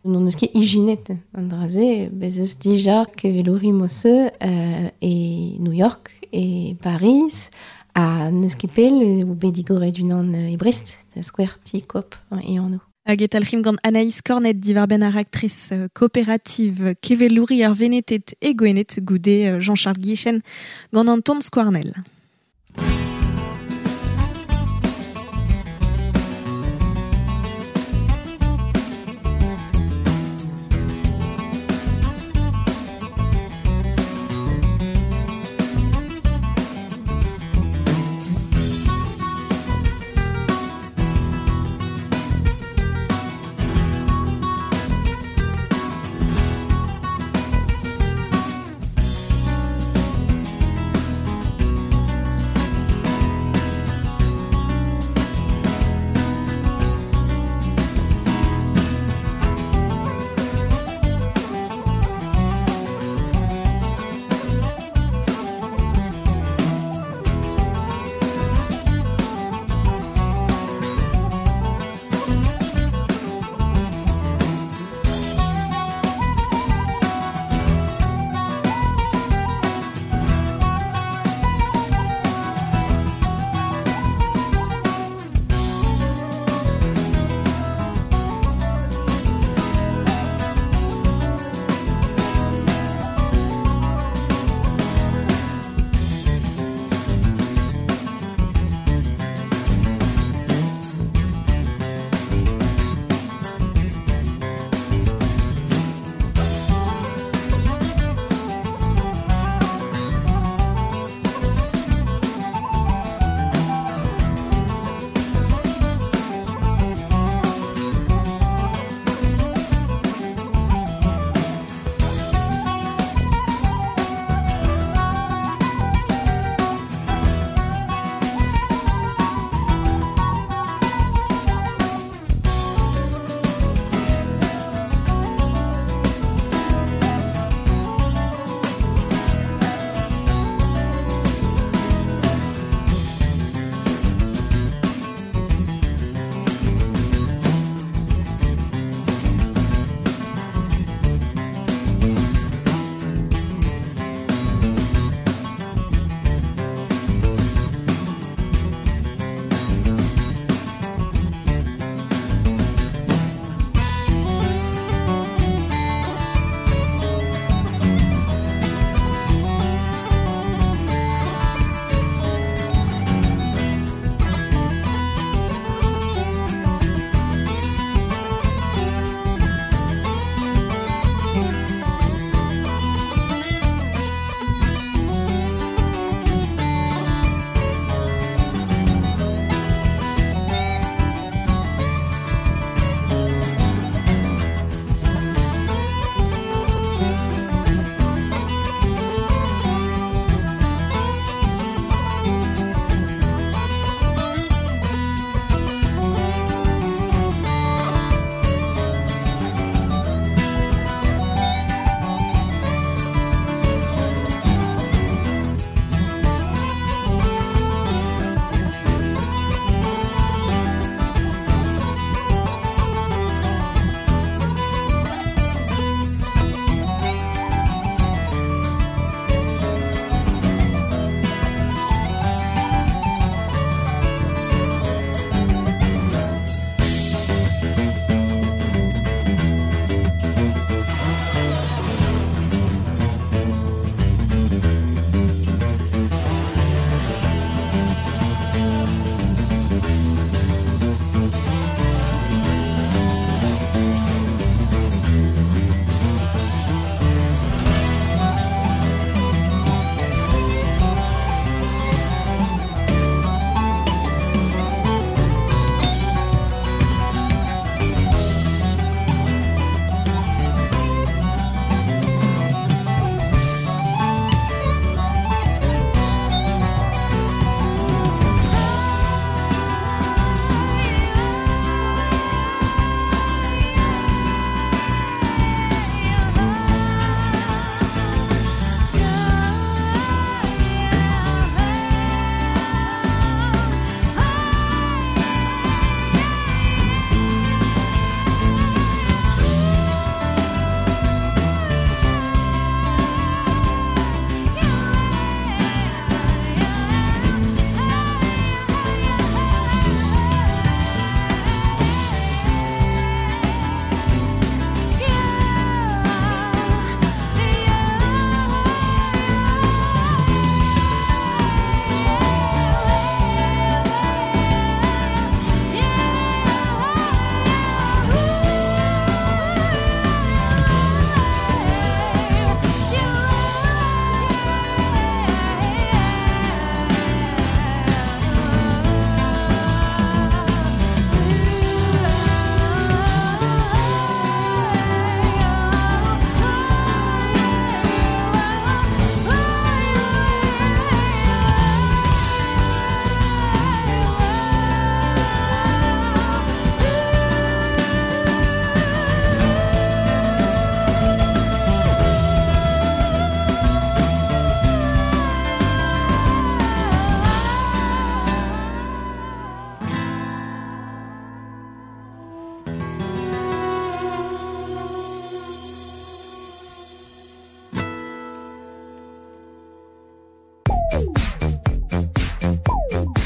N'hon eus ket ijinet an dra-se, bez eus dija kevelouri mod-se euh, e New York, e Paris, ha n'eus ket pell eo bet digoret unan e Brest, da skouer ti kop e anv. Hag e talc'himp gant Anaïs Cornet diwar-benn ar aktrez kooperative kevelouri ar Venetet e Gwened goude Jean-Charles Guichen gant an ton Skouarnel.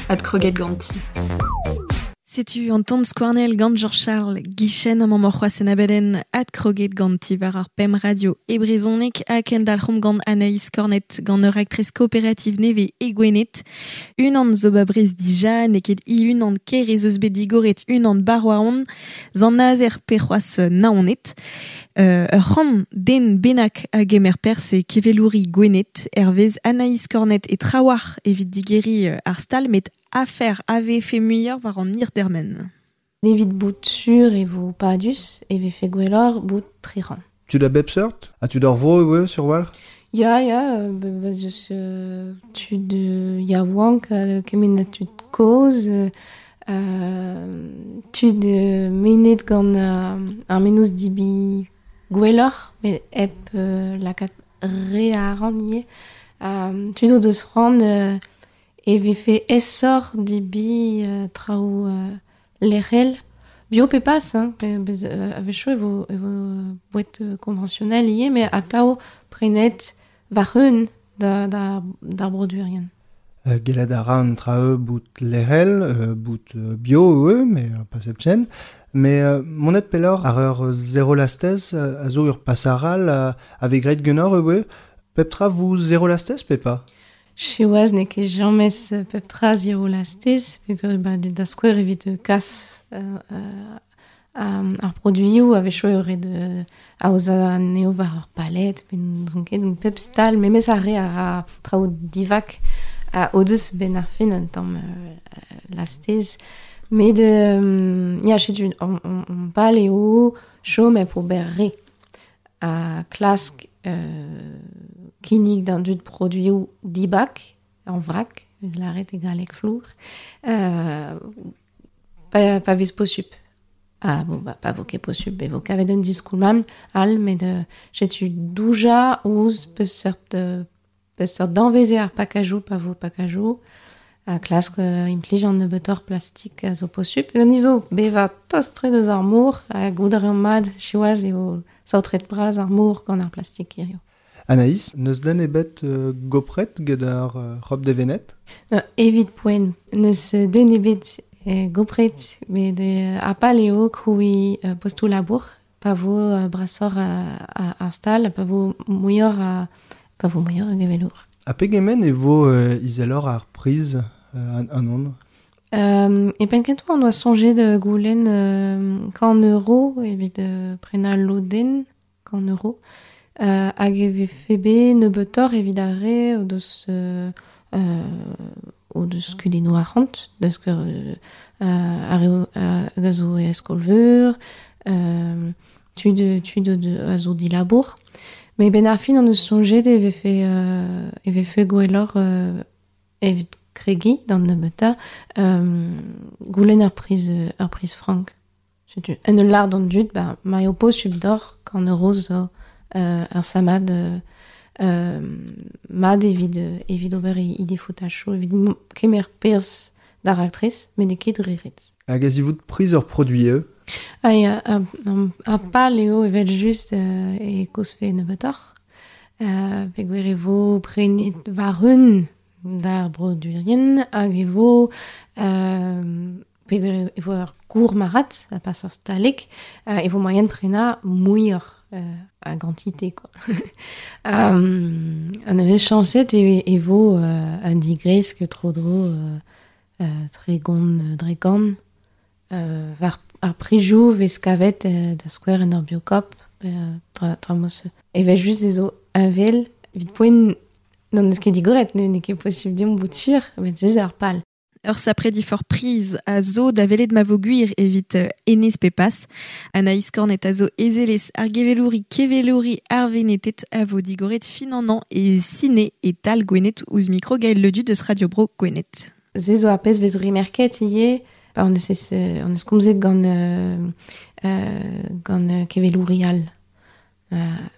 Adkroget ganti. Setu an ton skouarnel gant Georges Charles Guichen am amañ c'hoazh en abadenn adkroget ganti war ar pem radio e brezhoneg ha kendalc'homp gant Anaïs Cornet gant ur aktrez kooperativ nevez e Gwened. Unan zo ba Brest dija, n'eo ket i unan ker ez eus bet digoret unan bar war on, zan nazer pe c'hoazh naonet. Euh, ur c'hant den bennak a gemer perzh e kevelouri Gwened, hervez Anaïs Cornet e trawar evit digeri ar stal met afer A V F muioc'h war an hir dermen. Evit bout sur e vo padus e vefe gwelloc'h bout triran. Tu da bep seurt? Ha tu d'ar vro eo sur war? Ya, ya, ba zeus tud yaouank kement a tud kozh, euh, tud menet gant ar menoz dibi gwelloc'h, met hep lakaat re a ran ivez. Tud o deus c'hoant e vefe aesoc'h dibi euh, traoù euh, lec'hel. Bio pe pas, hein, bez, euh, a-wechoù e vo, e vo boued conventionnel ivez, met atav prenet war-eeun da, da, d'ar produerien. Euh, gellet a ra an traoù bout lec'hel, euh, bout bio eo, mais euh, pas hepken. Mais euh, monet pelloc'h ar ur zero lastez a zo ur pasaral a, a vez graet ganeoc'h eo, pep tra vo zero lastez pe pas? Siwazh n'eo ket james pep tra zero lastez, peogwir ba da skouer evit kas euh, euh, ar produioù a-wechoù eo ret aozañ anezho war ur palet, pe n'ouzon ket, donc pep stal, memes ar re a ra traoù divak a o deus ben ar fin un tamm euh, lastez. Met euh, ya, setu, on, on, on pal eo chom hep ober re a klask euh, kinnig d'an dud produioù dibak, en vrac, vez lâret e galleg flour, euh, pa, pa vez posupl. Ah bon, bah, pa vo ket posupl, e vo kavet un diskoulm all, met euh, setu douja ouzh peseurt, peseurt danvez eo ar pakajoù, pa vo pakajoù, a klask euh, implij an nebeutoc'h plastik a zo posupl. Gant izo bevañ tost-tre deus ar mor, ha goût a reomp mat, siwazh eo saotret bras ar mor gant ar plastik hiziv. Anaïs, n'eus den ebet euh, gopret get ar euh, Rob de Venet? Non, evit poent. N'eus den ebet eh, gopret, met euh, a pal eo krouiñ euh, postoù labour, pa vo euh, brasoc'h ar stal, pa vo muioc'h a, pa vo muioc'h a gevelour. Ha pegement e vo euh, izeloc'h ar priz euh, an, an on? Euh, e penn kentañ on doa soñjet de goulenn euh, kant euro evit euh, prenañ lodenn, kant euro. Euh, hag e vefe bet nebeutoc'h evit ar re o deus, euh, euh, o deus kudennoù arc'hant, deus ket euh, ar re hag a zo e skol-veur, euh, tud, tud a zo dilabour. Met ben ar fin on eus soñjet e vefe, euh, e vefe gwelloc'h euh, evit kregiñ d'an nebeutañ, euh, goulenn ar priz, ar priz frank. Setu, en ul lâr d'an dud, ba, ma eo posupl deoc'h kant euro zo euh, ur samad euh, euh, mat evit, evit ober e defoutachoù, evit kemer perzh d'ar raktres, met n'eo ket dre ret. Hag a zivout priz ur produit eo? Ah, ya, ar pal eo evel just euh, e kozfe nebeutoc'h. Euh, peogwir e vo prenet war-eeun d'ar produerien hag e vo euh, peogwir e vo ur gourmarc'had, ha pas ur stalek, euh, e vo moaien prenañ muioc'h euh, a gantité, quoi. um, an nevez chañset e, e vo euh, un digresk tro-dro euh, euh, tregont dre gant euh, war ar prizioù vez kavet euh, da skouer en ur biokop, euh, tra, tra mos. Evel just ez zo heñvel, evit poent n'en eus ket digoret, n'eo ket posupl deomp bout sur, met se ar pal. Ur sapre difor priz a zo da welet ma vo gwir evit enez pe pas. Anaïs Cornet a zo ezelez ar gevelouri kevelouri ar venetet a vo digoret fin an an e sine e tal Gwened ouzh mikro Gaël Ledu deus Radio Bro Gwened. Se zo ar pezh vez remerket ivez, ba on eus ez, on eus komzet gant, euh, euh, gant kevelouri all. Euh,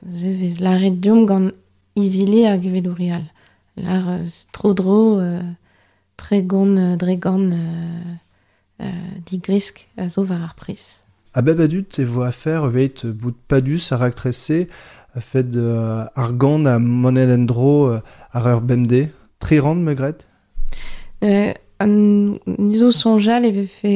se vez lâret deomp gant izili ar gevelouri all. Lâr euh, tro-dro euh, tregont dre gant euh, euh, digresk a zo war ar priz. A bep a dud e vo afer evit bout padus ar raktres-se a fed euh, ar gant a monet en-dro euh, ar ur bemdez, tri rann me gred? Euh, an zo sonjal e vefe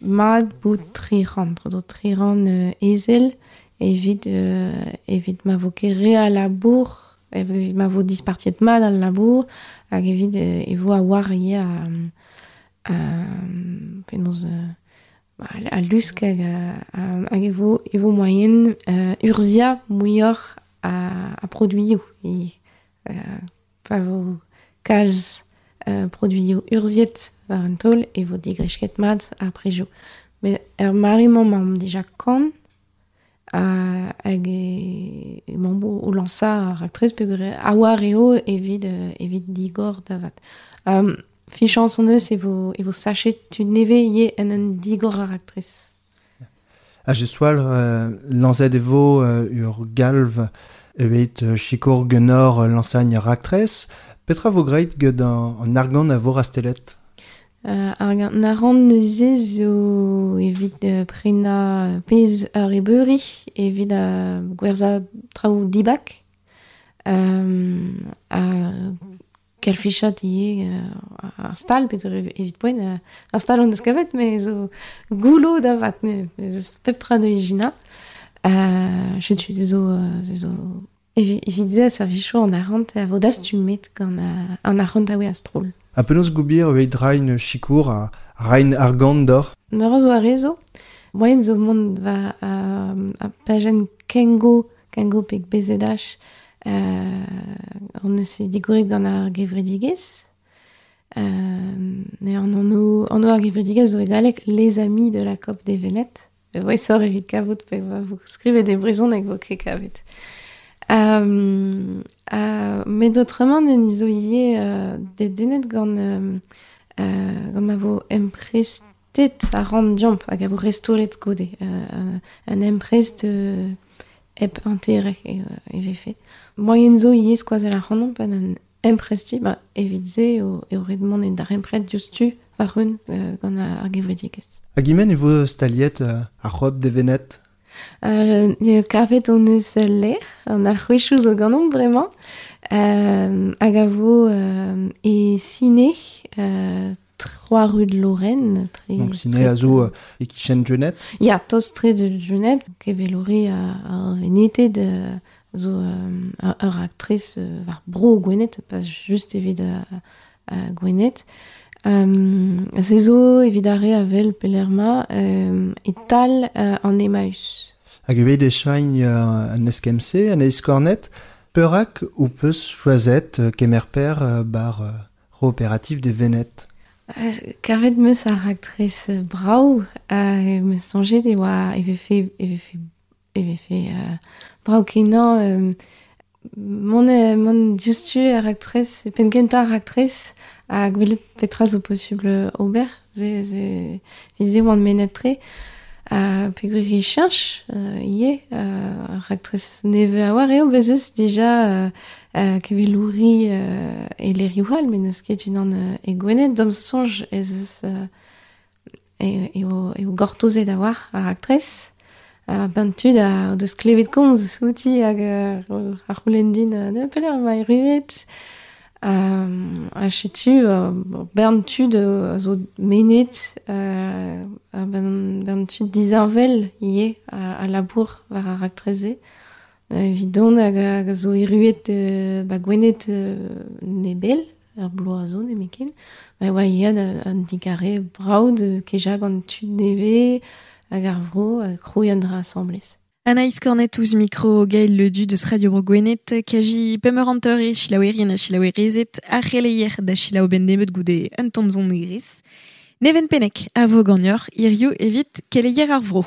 mat bout tri rann, tro tri rann euh, ezel evit, euh, evit ma vo ket re a labour, evit ma vo dispartiet mat al labour, hag evit euh, e vo a war ivez a, a, penaos euh, a lusk hag, a, hag e vo, e vo moaien euh, urzhia muioc'h a, a produioù. E, euh, pa vo kalz euh, produioù urzhiet war an taol e vo digresket mat ar prejoù. Met er mare-mañ emaomp dija kant a, hag e, emaomp o lañsañ ar raktres peogwir a war eo evit, evit digor da vat. Um, Fichañs hon eus e vo, e vo sachet tud nevez ivez en un digor ar raktres. Ha just war, euh, lañset e vo euh, ur galv evit euh, sikour genor euh, lañsañ ar raktres. Petra vo graet get an, an argant a vo rastelet? Euh, ar gant arc'hant neuze zo evit euh, prenañ pezh ar ebeuri, evit euh, gwerzhañ traoù dibak. Euh, a kalfichat ivez euh, ar stal, peogwir evit poent euh, ar stal hon eus kavet, met zo goullo da vat, ne, ez pep tra da ijinañ. Euh, setu zo, zo evit, evit se a servijo an arc'hant a vo dastumet gant an arc'hant a oe a-stroll. Ha penaos gobir evit rain sikour a rain argant d'or? Meur a zo ar re zo. Moaien zo mont va a, a pajenn Kengo, Kengo peg B Z H, euh, on eus digoret gant ar gevredigezh. Euh, an anv, anv ar gevredigezh zo e galleg Les Amis de la Cop des Vénètes. Voe sor evit kavout pe va vo skrivet e brezhoneg vo ket kavet. Euh, euh, met autrement en izo ivez euh, dedennet gant, euh, euh, gant ma vo emprestet a ran diomp hag a vo restolet goude. Euh, un emprest euh, hep intérêt e, e vefe. Moaien zo ivez skoazell ar c'hanomp pa an empresti, ba, evit se eo, eo ret mont en d'ar empret diouzhtu war un euh, gant ar gevredigezh. Hag imen e vo staliet euh, ar c'hoop de Vénètes? Euh, kavet hon eus lec'h, an alc'hwezhioù zo ganeomp bremañ, euh, hag a vo euh, e Ciné, euh, trois rue de Lorraine. Tre, Donc Ciné a zo euh, e kichen Junet? Ya, tost tre de Junet, kevelori a, a Vénété de, zo euh, ur aktrice euh, war bro Gwened, pas just evit a, a Gwened. Euh, se zo evit ar re a vel pelerma euh, e tal euh, an Emmaüs. Hag evit e chaign euh, an eskem-se, an eiskornet, peurak ou peus choazet euh, kemer per euh, bar euh, coopérative des Vénètes? Euh, kavet meus ar aktrice brau, euh, meus soñjet e oa e vefe, e vefe, e vefe euh, brau kenañ euh, mont, euh, mont diouzhtu ar aktrice, penn kentañ ar aktrice, ha gwelet petra zo posubl ober, ze, ze, evit se oan mennet tre, uh, peogwir e cheñch euh, ivez, euh, ar aktrice nevez a oar eo, bez eus dija euh, euh, kevelouri euh, e lec'hioù all, met n'eus ket unan euh, e Gwened, d'am soñj ez eus euh, e, eo, eo gortozet a war ar aktrice, uh, ben tud a deus klevet komz outi hag euh, ar c'houlenn din euh, pelec'h emañ erruet. Euh, ha setu, euh, bern tud a zo menet, euh, a bern, bern tud disheñvel ivez a, a labour war ar raktres-se. Evit dont hag a zo erruet euh, ba Gwened euh, nebell, ar bloaz zo nemetken. Ba oa ivez an digarez brav de kejañ gant tud nevez hag ar vro, hag krouiñ an dra asambles. Anaïs Cornet ouzh mikro Gaël Ledu deus Radio Bro Gwened, kaji pemp hanter e selaouerien ha selaouerezed ar c'heleier da selaou ben nebeut goude un tamm zon negriz. Neven Pennec a vo ganeoc'h hiziv evit keleier ar vro.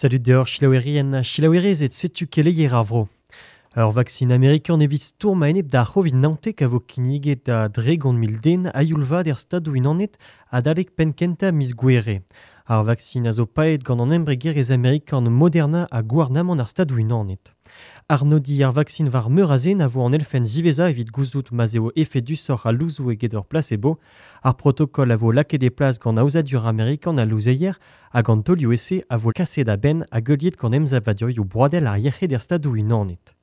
Salut deoc'h chilaouerien ha chilaouerezed, setu keleier ar vro. Ur vaksin amerikan evit stourm a-enep d'ar C'hovid naontek a vo kinniget da dregont mil den a youl vat er stadoù unanet adalek penn-kentañ miz Gouere. Ar vaksin a zo paeet gant an embregerezh amerikan Moderna ha gouarnamant ar stadoù unanet. Arnodiñ ar vaksin war meur a zen a vo an elfenn ziwezhañ evit gouzout ma'z eo efedusoc'h al louzoù eget ur placebo. Ar protokol a vo lakaet e plas gant aozadur amerikan al louzeier hag an taolioù-ese a vo kaset a-benn hag heuliet gant emsavadurioù broadel ar yec'hed er stadoù unanet.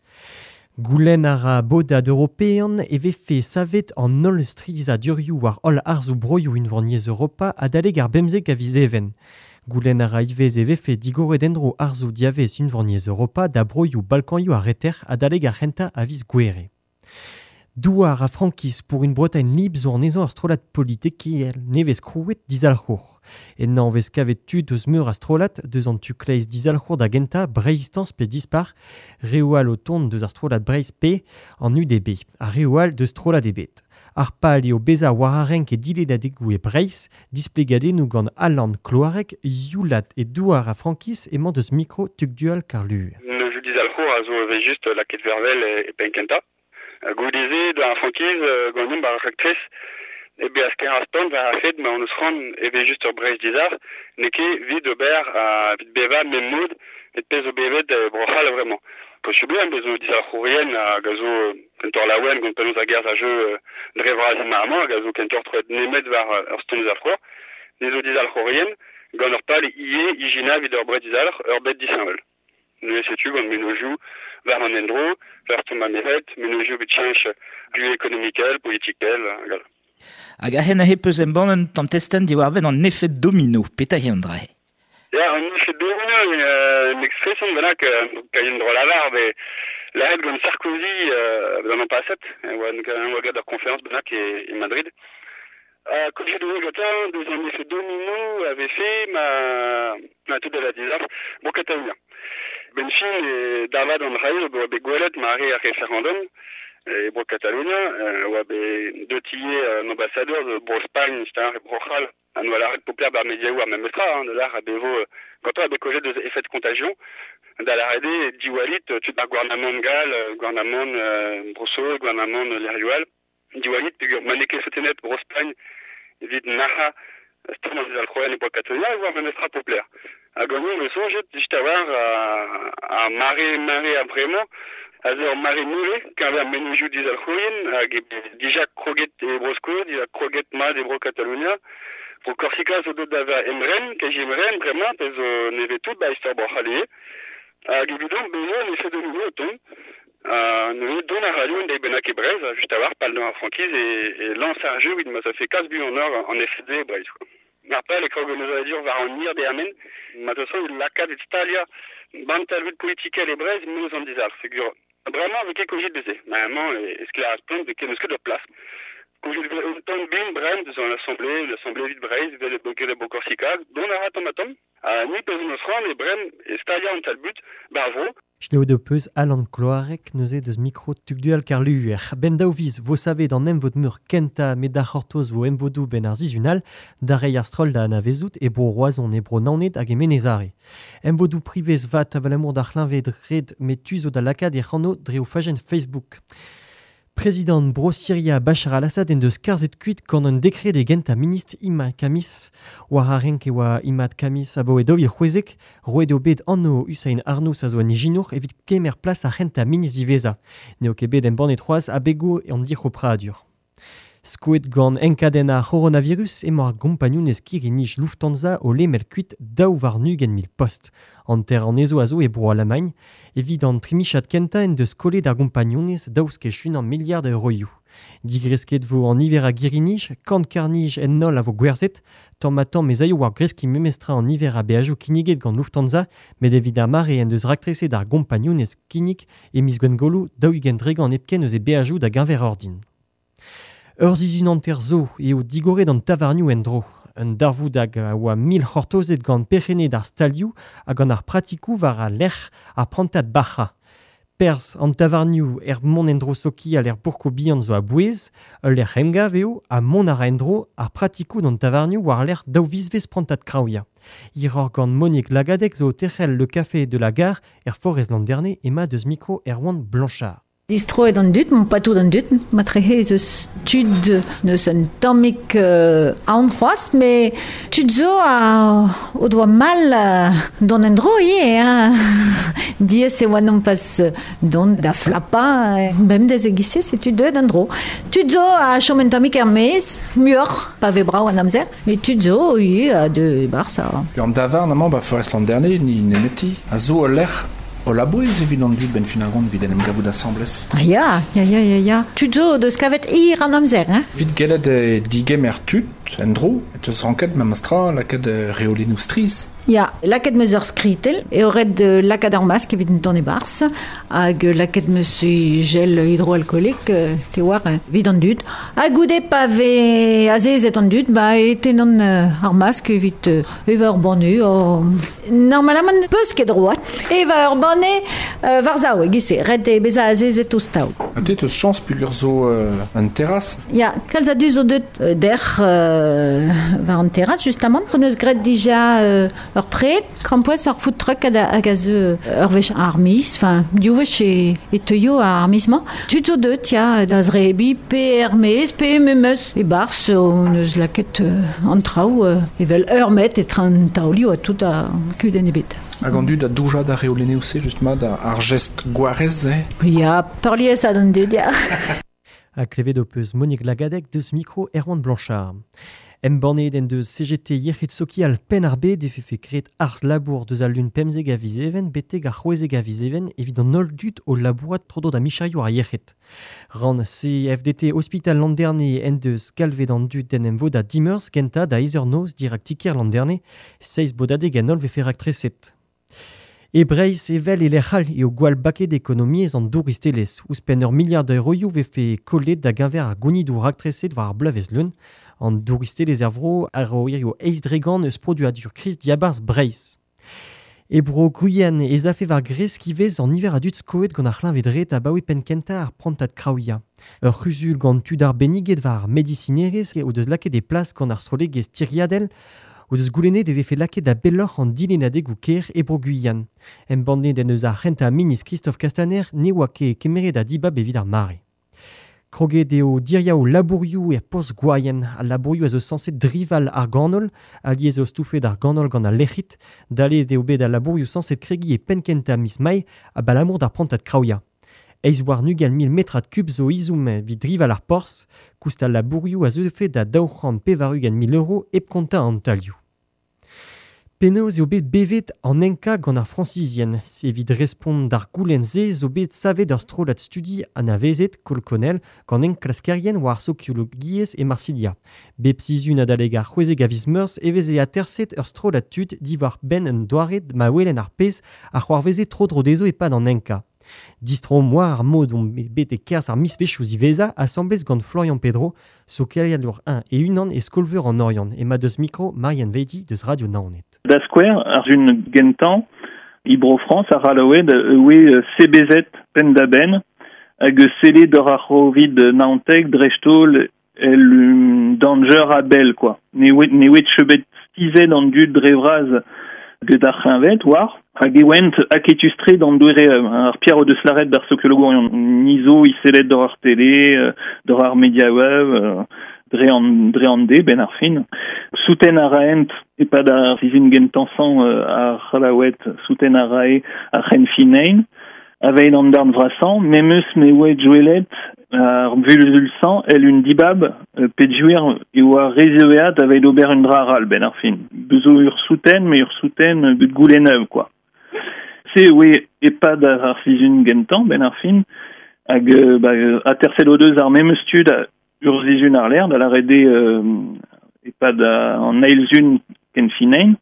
Goulenn a ra bodad european e vefe savet an holl strizhadurioù war holl arzoù broioù unvaniezh Europa adalek ar bemzek a viz Even. Goulenn a ra ivez e vefe digoret endro arzoù diavez unvaniezh Europa da broioù Balkanioù ar reter adalek ar c'hentañ a viz Gouere. Douar a frankiz pour une Bretagne libre zo anezhañ ar strollad politikel nevez krouet dizalc'hour. Ennañ vez kavet tud eus meur a strollad deus an tu kleiz dizalc'hour da gentañ Breizhistance pe Dispar, reoù all o tont deus ar strollad Breizh P an U D B, ha reoù all deus strollad ebet. Ar pal eo bezañ war ar renk e dilennadegoù e Breizh, displegadennoù gant Alan Kloareg, Youlat e Douar a frankiz emañ deus mikro Tugdual Karlu. Neuzu dizalc'hour a zo evel just lakaet vervel e penn-kentañ. Goudeze da frankiz gant bar raktres e be asker ar stand war ar fed ma on eus c'hoant e vez just ur Breizh dizalc'h n'eo ket evit ober evit bevañ mem mod et pezh zo bevet Bro-C'hall vraiment. Possible eo bezo dizalc'hourien hag a zo kentoc'h laouen gant penaos a gerzh a jeu dre vras emañ amañ hag a zo kentoc'h troet nemet war ur stand dizalc'hour. Ne zo dizalc'hourien gant ur pal ivez ijinañ evit ur Breizh dizalc'h ur bed disheñvel. Neuze setu gant menozioù war an endro, war ton ma meret, menozioù bet cheñch du ekonomikel, politikel, hag all. Hag a-hen a peus embann un tamm testenn diwar-benn an efed domino, petra eo an dra-se? Ya, an efed domino, un expression bennak, kaien dro lavar, bet lâret gant Sarkozy euh, an paset, oa oa gant ur conférence bennak e, e Madrid. Euh, Kozhet oa gantañ deus an effet domino avait fait ma ma tout da la dizalc'h Bro Katalunya. Ben fin e davad an rail oa bet gwelet mare ar referendum e Bro Katalunya, oa bet deutie un ambassadeur de Bro Spagn, c'est-à-dire Bro C'hall, an oa lâret populaire bar mediaoù ar memestra, hein, de l'ar a bevo gantañ a bet kozhet deus effet de contagion, da lâret eo diwalit tud ar gouarnamant gall, gouarnamant euh, Bro-Saoz, gouarnamant Lerioal, diwalit peogwir ma n'eo ket sotenet Bro Spagn evit nac'hañ stourm an dizalc'hourien e Bro Katalunya e oa memestra populaire. Hag an eo soñjet just a-walc'h a mare mare a bremañ a zo ur mare nevez keñver menozioù dizalc'hourien hag e dija kroget e Bro-Skos, dija kroget mat e Bro Katalunya. Bro Korsika zo deuet da vezañ emren, kazi emren bremañ pe zo nevez tout ba istor Bro-C'hall ivez. Hag evidon bezañ an efed domino o tont. Neuze dont a radio en deiz bennak e Breizh, just a-walc'h pal d'ar frankiz e, e lañs ar jeu evit ma ça fait kalz buan an efed e Breizh. Ar pal e krog an aozadur war an hir dermen, ma teus lakaat et staliañ bantalvud politikel e Breizh meus an dizalc'h. Peogwir bremañ vez ket kozhet deze. Mañ e sklaer ar spont vez ket n'eus ket ur plas. Kozhet vez un tamm bin bremañ deus an assemblée, l'assemblée evit Breizh, evel e e Bro Korsika, dont a ra tamm ha tamm. Ha ni peus eus c'hoant e bremañ e staliañ an talbut bar vro. Selaouet ho peus Alan Kloareg neuze deus mikro Tugdual Karluer. Ben daou viz vo savet an emvod meur kentañ met d'ar c'hortoz vo emvodoù ben ar sizhun da reiñ ar stroll da anavezout e Bro Roazhon e Bro Naoned hag e Menez-Are. Emvodoù privez vat abalamour d'ar c'hleñved red met tu zo da lakaat e c'hano dre o fajenn Facebook. Prezidant Bro-Siria Bachar al-Assad en deus karzhet kuit gant un dekred e gentañ ministr Imad Kamis. War ar renk e oa Imad Kamis abaoe daou vil c'hwezek, roet eo bet anv Hussein Arnous a zo un ijinour evit kemer plas ar c'hentañ ministr diwezhañ. N'eo ket bet embannet c'hoazh abegoù an dic'hopradur. Skoet gant enkadenn ar c'horonavirus emañ ar gompagnunezh kirri-nij Lufthansa o lemel kuit daou warn-ugent mil post. Hanter anezho a zo e Bro-Alamagn, evit an trimichad kentañ en deus kollet ar gompagnunezh daou skech unan miliard a euroioù. Digresket vo an niver a girri-nij, kant karr-nij en holl a vo gwerzhet, tamm ha tamm ez aio war greskiñ memestra an niver a beajoù kinniget gant Lufthansa, met evit ar mare en deus raktreset ar gompagnunezh kinnig e miz Gwengolo daou-ugent dregont hepken eus e beajoù da geñver ordin. Ur sizhun hanter zo eo digoret an tavarnioù en-dro. Un darvoud hag a oa mil c'hortozet gant perc'henned ar stalioù hag gant ar pratikoù war al lec'h ar prantad bac'hañ. Pers an tavarnioù er mont endro sokial er bourko bihan zo a bouez, ul lec'h emgav eo ha mont a ra endro ar pratikoù d'an tavarnioù war lec'h daou vizvez prantad kraouia. Hiroc'h gant Monique Lagadec zo o terc'hel le café de la gare er Forez Landerne ema deus mikro Erwan Blanchard. Distroet an dud, mon patou d'an dud, ma trehe eus tud neus un tammig euh, aon c'hoazh, mais tud zo a o doa mal euh, dont en dro ivez, hein. Diez e oa non pas dont da flapa, bem dez e gise, se tud deuet an dro. Tud zo a chom un tammig er maez, muioc'h, pa ve brav an amzer, mais tud zo ivez a de bar ça. An davarn amañ ba Forest Landerne ni nemeti, a zo ul lec'h o labouez evit an dud ben fin ar gont evit en em gavout asambles. Ah ya, ya, ya, ya, ya. Tud zo deus kavet hir an amzer, hein. Evit gellet e digemer tud en dro, et eus ranket memes tra lakaat reolennoù strizh. Ya, lakaet meus ur skritel, e ret lakaat ur mask evit an e-barzh, hag lakaet meus gel hydroalcoolique, te war, evit an dud. Ha goude pa ve azezet an dud, ba e tenan ar mask evit eva ur banne, oh... Normalement, peus ket droit. Eva ur banne euh, war zao, e-giz-se, ret e beza azezet ouzh taol. Ha te teus chañs peogwir zo euh, un terrasse? Ya, kalz a dud zo deut euh, derc'h euh, war an terrasse, justement. On eus graet dija euh, ur pred, krampouezh ur food truck hag a zo ur wech ar miz, enfin, div wech e, e teuio ar miz-mañ. Tud zo deut, ya, da zrebi, pe er maez, pe memes e-barzh, on eus lakaet euh, an traoù, euh, evel ur met e traoù taolioù ha tout a kudenn ebet. Hag an dud a douja da reolennoù se, justement, da ar gest gwarez, eh? Ya, peurliesañ d'an dud, ya. Ha klevet ho peus Monique Lagadec deus mikro Erwan Blanchard. Embannet en deus C G T yec'hed sokial penn ar bed e fefe graet arz labour deus al lun pemzek a viz even betek ar c'hwezek a viz even evit an holl dud o labourat tro-dro da micherioù ar yec'hed. Rann C F D T Hospital Landerne en deus galvet an dud d'en em vodañ dimeurzh kentañ da eizh eur noz dirak ti-kêr Landerne, seizh bodadeg en holl vefe raktreset. E Breizh evel e lec'h all eo gwall baket ekonomiezh an douristelezh. Ouzhpenn ur miliard euroioù vefe kollet da geñver ar gounidoù raktreset war ar bloavezh leun. An douristelezh er vro a ro hirio eizh dregant eus produadur kriz diabarzh Breizh. E bro Guyane ez afe war gresk ivez an niver a dud skoet gant ar c'hleñved-red abaoe penn-kentañ ar prantad kraouia. Ur c'huzul gant tud arbenniget war ar medisinerezh o deus lakaet e plas gant ar strollegezh tiriadel o deus goulennet e vefe lakaet da belloc'h an dilennadegoù kêr e bro Guyane. Embannet en eus ar c'hentañ ministr Christophe Castaner ne oa ket kemeret a dibab evit ar mare. Kroget eo diriaou labourioù er post gwaien. Al labourioù a zo sañset drival ar ganol, alies eo stoufet ar ganol gant al lec'hid, dalet eo bet al labourioù sañset kregiñ e penn-kentañ miz Mae abalamour d'ar prantad kraouia. Eizh war ugent mil metrad kub zo izoum evit drival ar porzh, koust al labourioù a zeufe da daou c'hant pevar-ugent mil euro hep kontañ an talioù. Penaos eo bet bevet an enka gant ar Frañsizien. Evit respont d'ar goulenn-se zo bet savet ur strollad studi anavezet kolkonel gant enklaskerien war ar sokiologiezh e Marsilia. Bep sizhun adalek ar c'hwezek a viz Meurzh e veze aterset ur strollad tud diwar benn un doare ma welen ar pezh a c'hoarveze tro-dro dezho e-pad an enka. Distro war ar mod omp bet e-kerzh ar mizvezhioù ziwezhañ asambles gant Florian Pedro, sokialour un e unan e skolveur an Oriant, ema deus mikro Marianne Veidi deus Radio Naoned. Da skouer, ar un gentañ, Ibro France a ralaouet oe C B Z penn-da-benn hag sele d'ur ar c'hovid naontek dreist-holl el um, danger a bell, quoi. Ne oe ne oe chebet stizet an dud dre vras get ar c'hleñved war, hag e oent aketus-tre d'an doere ar Pierre o deus lâret d'ar sokiologourion nizo iselet d'ur ar télé, d'ur ar media web, dre an, dre an de, ben ar fin. Souten a raent, e-pad ar sizhun gentañ ar c'hallaoued, souten a rae ar c'henfinein, aveid an darn vrasañ, memes me oe joelet ar vulzulsañ el un dibab pedjouer e oa rezeveat aveid ober un dra aral ben ar fin. Bezo ur souten, me ur souten bet goulennev, quoi. Se oe e-pad ar sizhun gentañ ben ar fin, hag ba, aterset o deus ar memes tud ur sizhun ar ler, da lâret eo euh, e-pad an eil zun ken finein,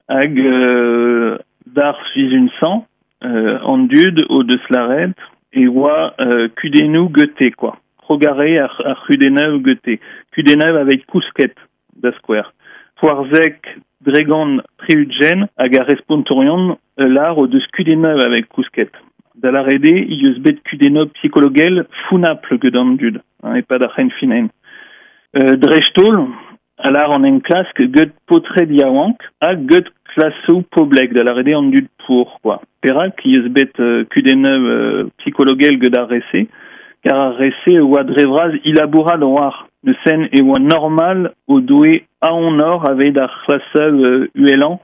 hag euh, d'ar sizhun sañ, euh, an dud o deus lâret e oa euh, kudennoù gete, quoi. Krogare ar, ar c'hudennoù gete. Kudennoù aveit kousket, da skouer. Poarzek dregant tri-ugent hag ar respontorion lar o deus kudennoù aveit kousket. Da la rede, i eus bet kudenno psikologel founapl get an dud, hein, e pad ar c'henfinen. Euh, Drechtol, alar an enklask get potred yaouank ha get klasou poblek, da la rede an dud pour, quoi. Perak, i eus bet euh, kudenno euh, psikologel get ar rese, kar ar rese oa drevraz ilabourad oar. Ne sen e oa normal o doe aon or aveit ar c'hlasav euh, uelan,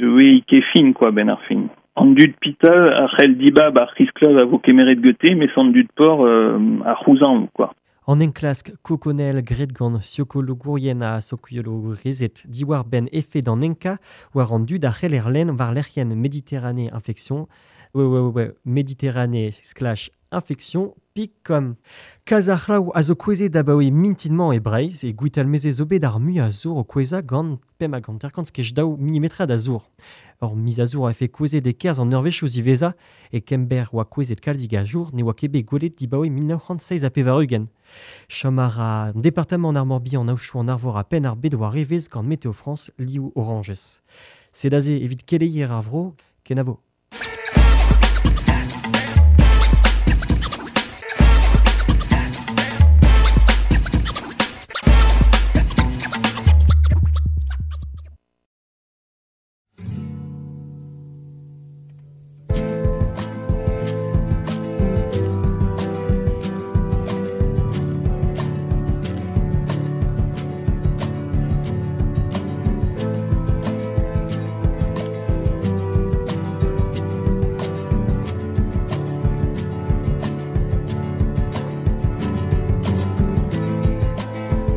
oe i kefin, quoi, ben ar fin. An dud pita ar c'hell dibab ar c'hisklav a vo kemeret gete, mes an dud por euh, ar c'houzan, quoi. An enklask kokonel gret gant siokologourien a sokiologorezet diwar ben efed an enka war an dud ar c'hell erlen war lec'hienn Méditerranée infection ouais, ouais, ouais, ouais, Méditerranée slash infection pik.com. Kalz ar c'hlaou a zo kouezet abaoe mintinmañ e Breizh e gwitalmeze zo bet ar mui a zour o kouezañ gant pemp hag hanter-kant skej daou milimetrad a zour. Ur miz a zour a efe kouezet e-kerzh an eurvezhioù ziwezhañ e Kember oa kouezet kalzik a jour ne oa ket bet gwelet dibaoe mil nav c'hant seizh ha pevar-ugent. Chom a ra an departamant ar Morbihan an aochoù an Arvor ha penn ar bed war evezh gant Météo France liv orañjez. Sed aze evit keleier ar vro, kenavo.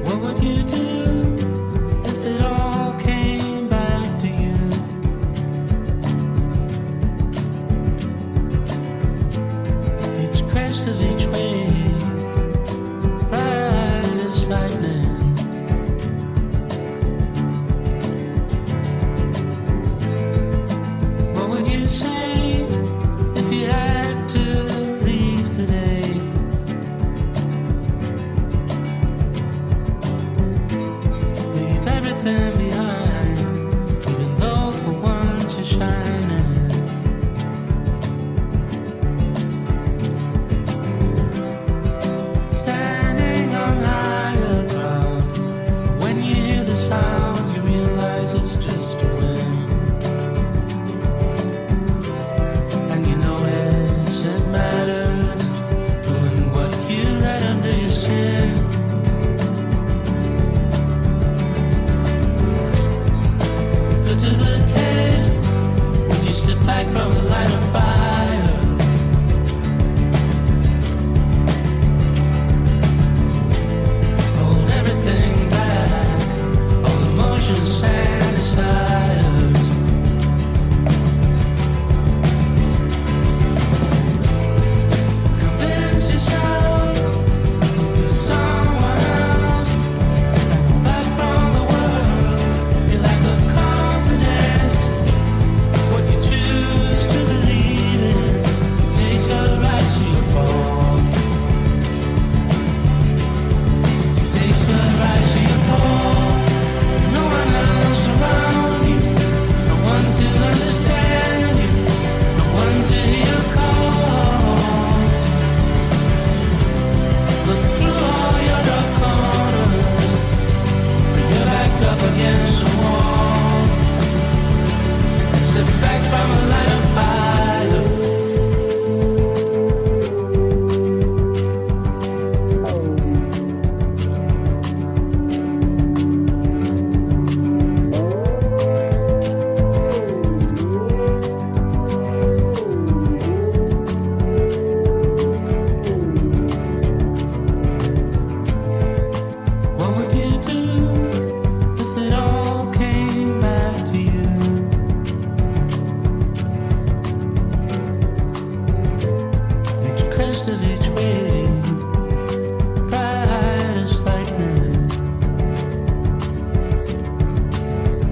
What would you do if it all came back to you? Each crest of each wave, bright as lightning. What would you say if you had to leave today? Leave everything behind, even though for once you're shining. Standing on higher ground, when you hear the sounds, you realize it's just a wind. And you notice it matters who and what you let under your skin. Good to the taste. Would you step back from the light of fire? Hold everything back, all emotions and desires. Convince yourself you're someone else, back from the world. Your lack of confidence, what you choose to believe in, takes your right to your fall. Takes your right to your fall. No one else around you, no one to understand you, no one to hear your calls. Look through all your dark corners, you're backed up against the wall. Step back from a light of fire. What would you do if it all came back to you? Each crest of each wave, bright as lightning.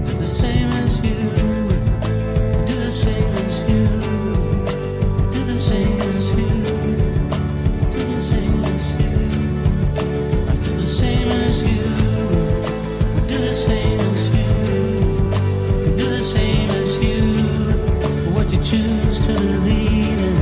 Do the same as you, do the same as you, do the same as you, do the same as you. I do the same as you, do the same as you, do the same as you. What you choose to believe in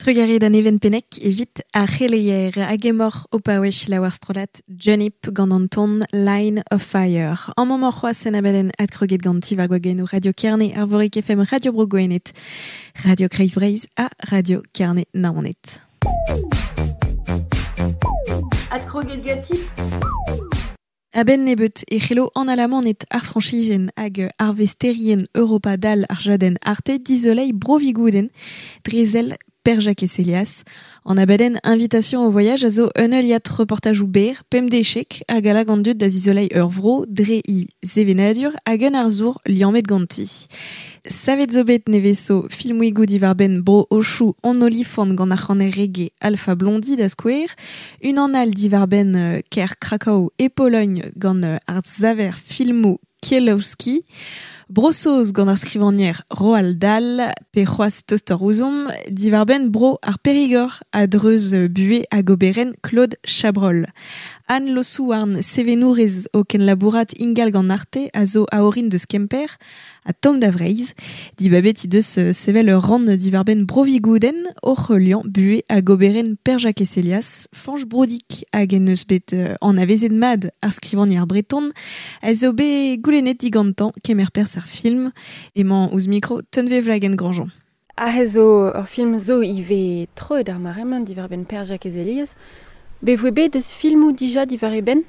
Trugarez da Neven Pennec evit ar c'heleier hag emoc'h o paouez laouar strollad Junip gant an ton Line of Fire. An mañ c'hoazh en abadenn adkroget ganti war gwagennoù Radio Kerne, Arvorik F M, Radio Bro Gwened, Radio Kreiz Breizh ha Radio Kerne Naoned. Adkroget ganti. A-benn nebeut e c'hello an alamaned ar frañsizien hag ar vesterien Europa dal ar jadenn Arte dizoleiñ Bro-Vigouden drezel Per-Jakez Helias. An abadenn invitation au voyage a zo un heuliad reportajoù ber, pemp dechek hag a lag an dud da zizoleiñ ur vro dre i sevenadur hag un arzour liammet ganti. Savet zo bet nevezo filmouigoù diwar-benn bro Ochoù an olifant gant ar c'haner reggae Alpha Blondy da skouer, unan all diwar-benn kêr Krakow e Pologne gant ar saver filmoù Kieślowski, Bro-Saoz gant ar skrivagner Roald Dahl, pe c'hoazh toster ouzomp, diwar-benn bro ar Périgord a dreuz buhez hag oberenn Claude Chabrol. Anne Losouarn, sevenourez o kenlabourat ingal gant Arte a zo a orin deus Kemper a tomm da Vreizh, dibabet he deus sevel ur rann diwar-benn Bro-Vigouden oc'h heuliañ buhez hag oberenn Per-Jakez Helias, Fañch Broudic hag en eus bet anavezet mat ar skrivagner breton, a zo bet goulennet digantañ kemer perzh ar film, emañ ouzh mikro Tunve Wloagen-Grandjean. Aze zo ur film zo ivez troet ar mare-mañ diwar-benn Per-Jakez Helias. Be voe bet eus filmoù dija diwar e benn?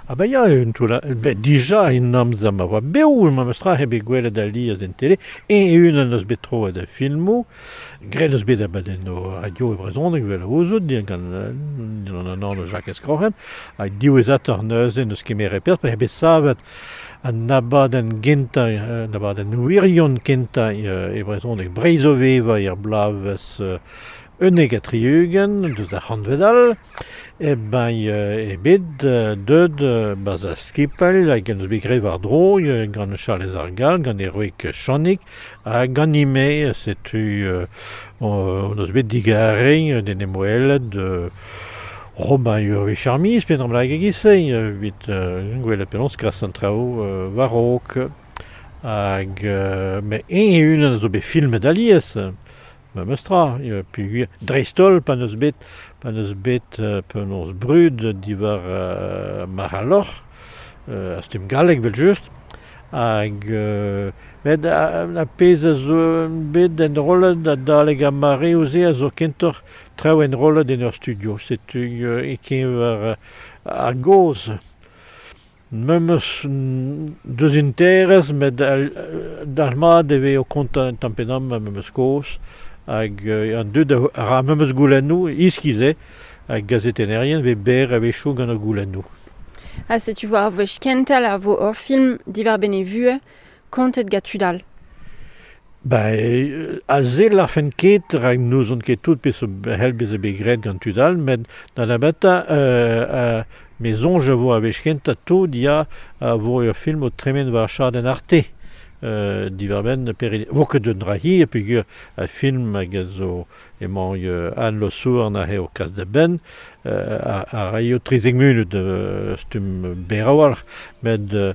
Ah ben ya, un toulla, ben dija en amzer ma oa bev, ma meus tra bet gwelet alies en tele, e unan eus bet troet a filmoù, graet eus bet abadennoù radio e brezhoneg vel a ouzout, din gant an an anv Jacques Escrochen, hag diwezhatoc'h neuze neus kemeret perzh, pa bet savet an abadenn gentañ, an abadenn wirion kentañ e brezhoneg Breizh o vevañ er bloavezh unnek ha tri-ugent, deus ar c'hantved all, e ben e bet deud baz a skipel hag en eus bet graet war-dro gant Charlez ar Gall, gant Eroik Channig, hag gant ime, setu on eus bet digarez d'en em welet Robin ur wech ar miz, pe dram hag e-giz-se, evit gwelet penaos kras an traoù war-raok. Hag met eñ e-unan a zo bet filmet alies, memes tra, peogwir dreist-holl pa n'eus bet pa n'eus bet penaos brud diwar uh, Marc'h-al-Loc'h, uh, a stumm gallek evel-just, hag uh, met a pezh a zo bet enrollet adalek ar mareoù-se a zo kentoc'h traoù enrollet en ur studio, setu uh, e-keñver ar gaoz. Memes deus interez, met dalc'hmat e vez o kontañ un tamm pe damm memes kozh, hag an dud a ra memes goulennoù, iskis eo, hag gazetennerien vez berr a-wechoù gant ar goulennoù. Ha setu war ar wech kentañ a vo ur film diwar-benn e vuhez, kontet gant tud all. Ben, aze l'arfen ket, rak n'ouzon ket tout pezh c'hell bezañ bet graet gant tud all, met da nebentañ euh, euh, me soñj a vo a wech kentañ tout ya a vo ur film o tremen war chadenn Arte. Euh, diwar-benn Peril. Vo ket un dra hir, peogwir a film hag a zo emañ Anne Losouarn aze o kas da benn, euh, a, a raio trizek munut euh, stumm berr a-walc'h, met euh,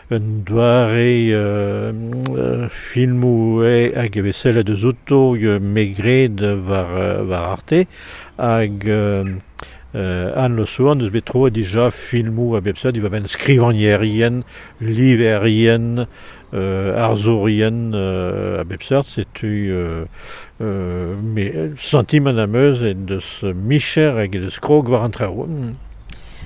un doare euh, euh, filmoù eo hag e vez sellet eus outo megred war, war Arte, hag euh, Euh, Anne Losouarn eus bet troet dija filmoù a bep seurt diwar-benn skrivagnerien, liverien, euh, arzourien euh, a bep seurt, setu euh, euh, me sentiment am eus en deus micher hag en deus krog war an traoù.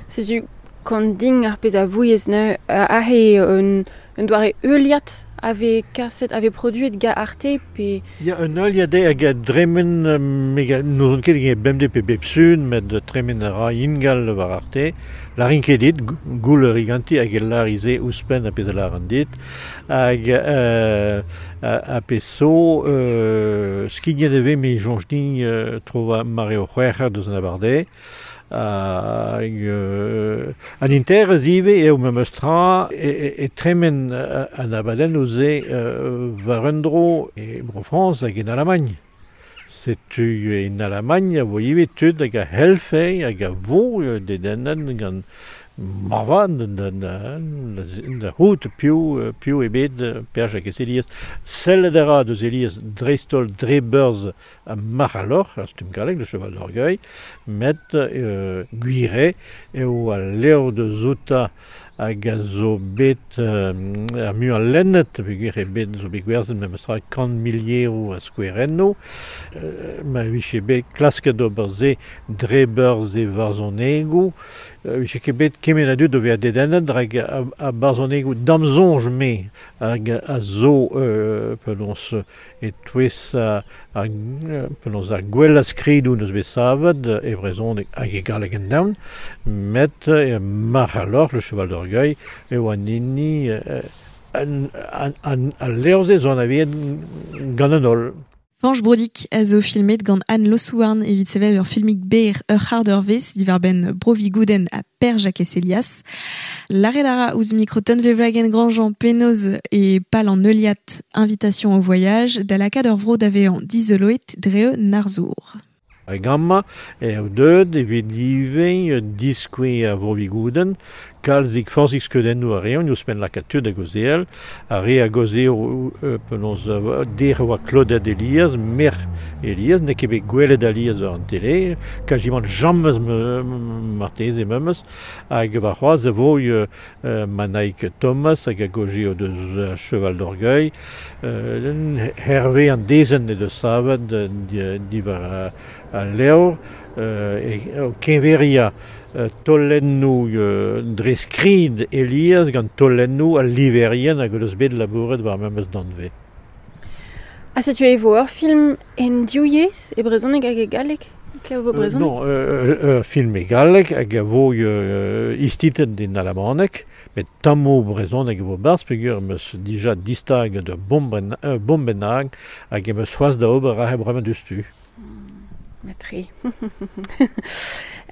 Setu kont din ar pezh a vouez neuze aze un, un doare heuliad a vez kaset, a vez produet gant Arte pe... Ya, un heuliad eo hag a dremen, n'ouzon ket hag bemdez pe bep sun, met tremen a ra ingal war Arte. Larin ket dit, goul ur ganti hag e larize ouzhpenn a pezh a lâran dit. Hag euh, a, a pezh zo, euh, skignet e vez me soñj din euh, tro war mare o c'hwec'h deus an abardaez. Hag euh, an interez ivez eo memes tra e, e, e tremen an abadennoù-se euh, war un dro e Bro-Frañs hag en Alamagn. Setu en Alamagn a vo ivez tud hag a c'hellfe hag a vo dedennet gant, Marvan, da, da, da c'hout piv, piv ebet Per Jakez Elias. Sellet a ra deus Elias dreistol dre beurz a marc'h ar stumm gallek, le cheval d'orgueil, met euh, gwire eo al levr de zouta hag a zo bet euh, ar muiañ lennet, peogwir eo bet zo bet gwerzhet memestra kant milieroù a skouerennoù, euh, ma vije bet klasket ober se dre beurz e varzhonegoù, euh, vije ket bet kement a dud o vezañ dedennet hag a, a barzhonegoù damsoñj me hag a zo euh, penaos e-touez a, a, penaos ar gwellañ skridoù neus bet savet e brezhoneg hag e galleg en daon, met e marc'h le cheval d'orgueil, eo an hini an, an, an, al levr-se zo anavezet gant an holl. Fañch Brodik a zo filmet gant Anne Losouarn evit sevel ur filmig ber ur c'hard ur vez diwar-benn Brovigouden ha Per Jakez Elias. Lâret a ra ouzh mikro Tunvezh Wloagen-Grandjean penaos e pal an heuliad Invitation au voyage da lakaat ur vro da vezañ dizoloet dre un arzour. Hag amañ eo deuet evit ivez diskouez a Vrovigouden, kalzik forzhik skeudennoù a reont, ouzhpenn lakaat tud a gaozeal, ar re a gaozeo penaos der oa Claudette Elias, merc'h Elias, n'eo ket bet gwelet Elias war an tele, kajimant jammez marteze memes, hag war c'hoazh a vo euh, Manaig Thomas hag a gaozeo deus Cheval d'Orgueil, euh, Hervé an dezenn e deus savet diwar al levr, euh, e keñveria taolennoù euh, dre skrid Elias gant taolennoù al liverien hag eus bet labouret war memes danvez. Ha setu e vo ur film en div yezh, e brezhoneg hag e galleg? Klev vo brezhoneg? Euh, non, ur euh, film e galleg hag a vo euh, istitlet en alamaneg, met tammoù brezhoneg e vo barzh peogwir em eus dija distag de bomben, euh, bombenag hag em eus c'hoazh da ober aze bremañ diouzhtu. Matre.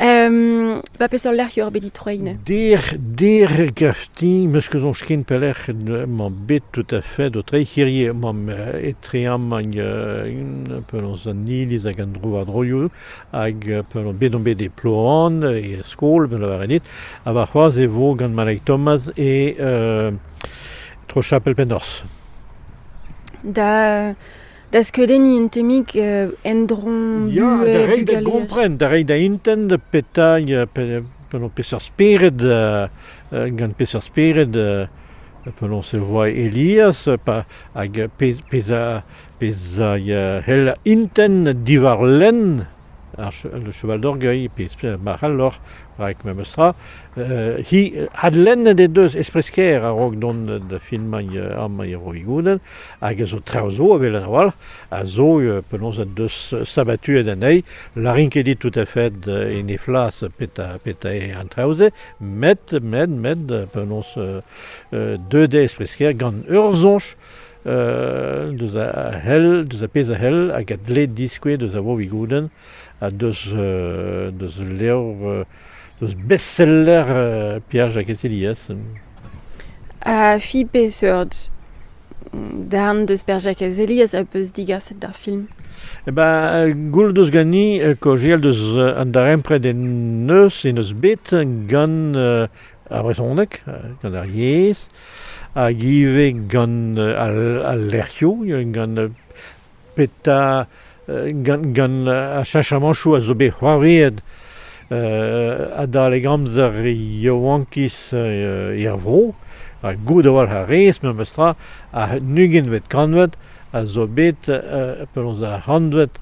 um, ba peseurt lec'h eo bet ditroiñ? Der, der gafti, meus ket soñj ken pelec'h emañ bet tout à fait o treiñ hirie emañ etre amañ penaos an iliz hag an dro war-droioù hag penaos bet on bet e Ploan e skol, ben lavaret dit, ha war c'hoazh e vo gant Manaig Thomas e euh, tro Chapel Pennorz. Da... Da skeudenniñ un tammig euh, endron Ya, da reiñ da gompren, da reiñ da intent petra pe, penaos peseurt spered euh, gant peseurt spered euh, penaos e oa Elias pa, hag pezh pezh a pezh a hell intent diwar lenn ar le cheval d'orgueil pezh marc'h rak memestra euh, hi adlennet e deus espresker a-raok dont da filmañ amañ e Rovigouden hag a zo traoù zo evel an a-walc'h a zo penaos a deus sabatuet anezhi larin ket dit tout à fait en e flas peta, peta e an traoù-se met, met, met penaos euh, deut eo espresker gant ur soñj euh, deus a hell, deus a pezh a hell hag a dle diskouez deus a Vrovigouden ha deus, euh, deus levr euh, deus best-seller euh, Pierre Jakez Elias. A fi peseurt darn deus Per Jakez Elias a peus digaset d'ar film? Eh ben, goul deus gani kaozeal deus an darempred en neus en eus bet gant euh, ar brezhoneg, gant ar yezh, hag ivez gant al, al lec'hioù, gant peta gant, gant ar cheñchamanchoù a zo bet c'hoarvezet euh, adalek amzer yaouankiz euh, er vro, ha goût a-walc'h a rez memestra a ugentvet kantved a zo bet euh, penaos ar c'hantved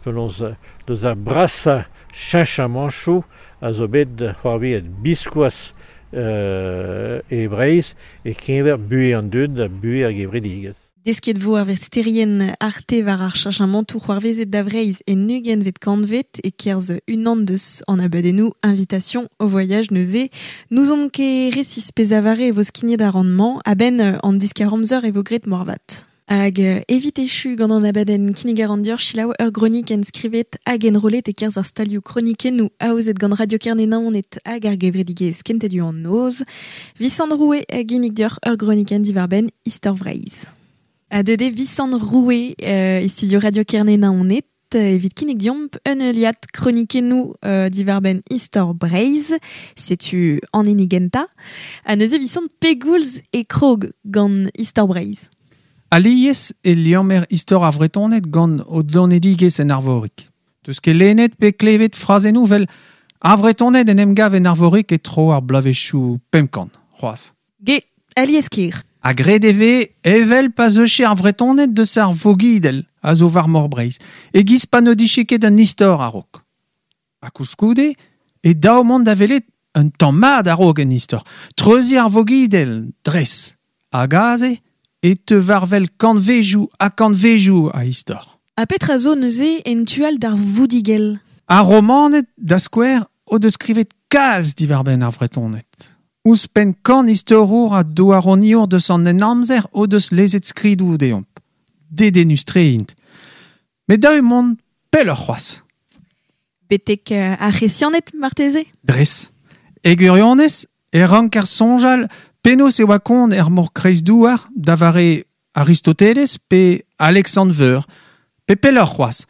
penaos deus ar brasañ cheñchamanchoù a zo bet c'hoarvezet biskoazh euh, e Breizh e keñver buhez an dud ha buhez ar gevredigezh. Desket vo ar vesterien arte war ar cheñchamantoù c'hoarvezet da Vreizh en ugentvet kantved e kerzh unan deus an abadennoù Invitation au voyage neuze. N'ouzomp ket resis pezh a vare e vo skignet ar rannemañ a-benn an diskar amzer e vo graet moarvat. Hag evit echu gant an abadenn kinnig ar an dior selaou ur gronik enskrivet hag enrollet e kerzh ar stalioù kronikennoù aozet gant Radio Kerne Naoned hag ar gevredigezh Kentelioù an Noz. Visant Roue a ginnig dior ur gronikenn diwar-benn Istor Vreizh. A deuet eo Visant Roue euh, e studio Radio Kerne Naoned. evit kinnig diomp un euliad kronikennou euh, divarben istor Breizh, setu an hini genta, ha neuze visant pegoulz e krog gant istor Breizh. Alies e liammer istor ar Vretoned gant o donedigezh en Arvorig. Teus ket lennet pe klevet frazennoù vel ar Vretoned en em gav en Arvorig e tro ar bloavezhioù pemp kant, c'hoazh. Ge, alies kir. A gred e vez evel pa zeuche ar Vretoned deus ar Vogidel a zo war mor Breizh, e giz pa n'o dije ket un istor a-raok. Ha koulskoude, e daou mont da welet un tamm mat a-raok en istor. Treuziñ ar Vogidel, dres. Hag aze, e teu war-wel kantvejoù ha kantvejoù a istor. Ha petra zo neuze en tu all d'ar Voudigel? Ar Romaned, da skouer, o deus skrivet kalz diwar-benn ar Vretoned. Ouzhpenn kant istorour ha douaroniour deus an Henamzer o deus lezet skridoù deomp. Dedennus-tre int. Met dav eo mont pelloc'h c'hoazh. Betek ar C'hresianed, marteze? Dres. E gwirionez, e ranker soñjal penaos e oa kont er mor Kreizdouar da vare Aristoteles pe Alexandre Veur, pe pelloc'h c'hoazh.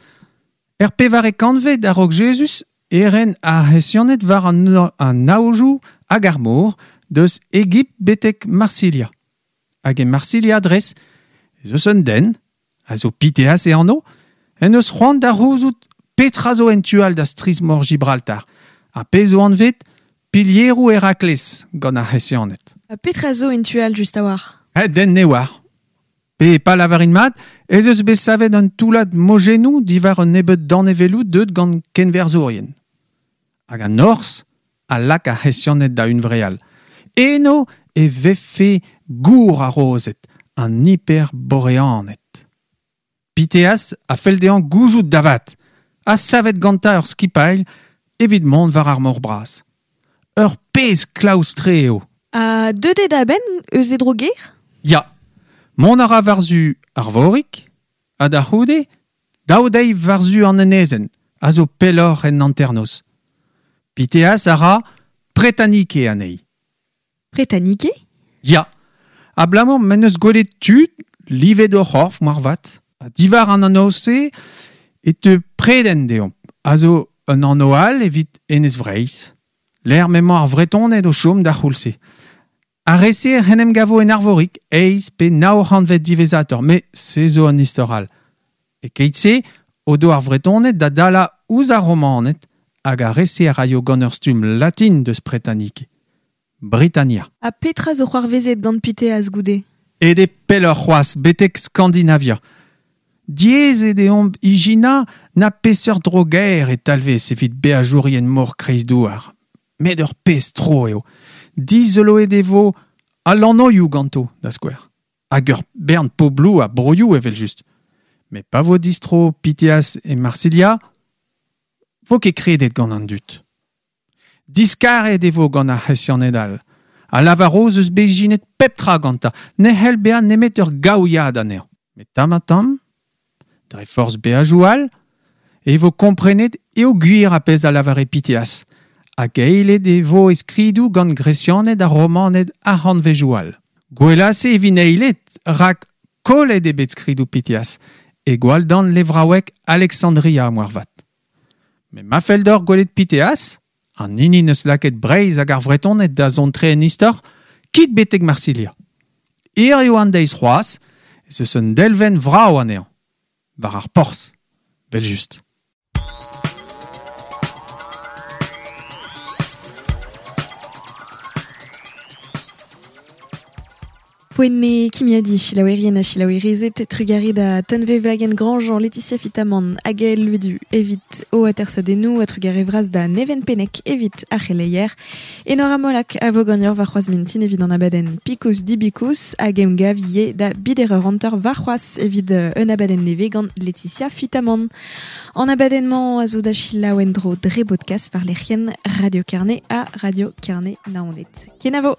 Er pevare kantved a-raok Jezuz e ren ar C'hresianed war an, an aojoù hag ar mor deus Egipt betek Marsilia. Hag e Marsilia dres, ez eus un den, a zo Piteas e anv, en eus c'hoant da c'houzout petra zo en tu all da strizh-mor Gibraltar, ha pezh zo anvet pilieroù Herakles gant ar C'hresianed. Ha petra zo en tu all just a-walc'h? Eh, den ne oar. Pe pa lavarin mat, ez eus bet savet un toullad mojennoù diwar un nebeud danevelloù deuet gant kenverzourien. Hag an norzh a lak ar C'hresianed da hunvreal. Eno e vefe gour ar rozed, an hiperboreaned. Piteas a fell dezhañ gouzout da vat, ha savet gantañ ur skipailh evit mont war ar mor bras. Ur pezh klaoustre eo. Ha deuet eo da benn eus e dro-gaer? Ya. Mont a ra war-zu Arvorig, ha da c'houde, daou deiz war-zu an enezenn, a zo pelloc'h en hanternoz. Piteas a ra Pretanike anezhi. Pretanike? Ya. Abalamour m'en deus gwelet tud, livet o c'horf moarvat. Ha diwar an anv-se e teu Preden deomp, a zo un anv all evit Enez Vreizh. Lec'h m'emañ ar Vretoned o chom d'ar c'houlz-se. Ar re-se en em gavo en Arvorig, eizh pe nav c'hantved diwezhatoc'h, met se zo un istor all. E keit-se, o do ar Vretoned da dalañ ouzh ar Romaned, hag ar re-se a raio gant ur stumm latin deus Pretanike. Britannia. Ha petra zo c'hoarvezet gant Piteas goude? Aet eo pelloc'h c'hoazh, betek Skandinavia. Diaes eo deomp ijinañ na peseurt dro-gaer e talvez evit beajourien mor Kreizdouar. Met ur pezh tro eo. Dizoloet e vo al anvioù ganto, da skouer. Hag ur bern pobloù ha broioù evel-just. Met pa vo distro Piteas e Marsilia, vo ket kredet gant an dud. Diskaret e vo gant ar C'hresianed all. A lavaro ez eus bet ijinet pep tra gantañ, ne c'hell bezañ nemet ur gaouiad anezhañ. Met tamm-ha-tamm, dre forzh beajoù all, e vo komprenet eo gwir ar pezh a lavare Piteas, hag eilet e vo e skridoù gant Gresianed ha Romaned ar c'hantvejoù all. Gwella-se evit eilet, rak kollet eo bet skridoù Piteas, e gwalldan levraoueg Alexandria moarvat. Met ma fell deoc'h gwelet Piteas, an hini neus lakaet Breizh hag ar Vretoned da zont tre en istor, kit betek Marsilia. Hiziv an deiz c'hoazh, ez eus un delvenn vrav anezhañ, war ar porzh, evel-just. Poent eo kimiadiñ, selaouerien ha selaouerezed, trugarez da Tunvezh Wlagen-Grandjean, Laetitia Fitamant hag Gaël Le Du evit o atersadennoù, ha trugarez vras da Neven Pennec evit ar c'heleier. Enora Molac a vo ganeoc'h warc'hoazh mintin evit an abadenn Pikos Dibikos hag emgav ivez da bider eur hanter warc'hoazh evit un abadenn nevez gant Laetitia Fitamant. An abadenn-mañ a zo da selaou en-dro dre bodkast war lec'hienn Radio Kerne ha Radio Kerne Naoned. Kenavo!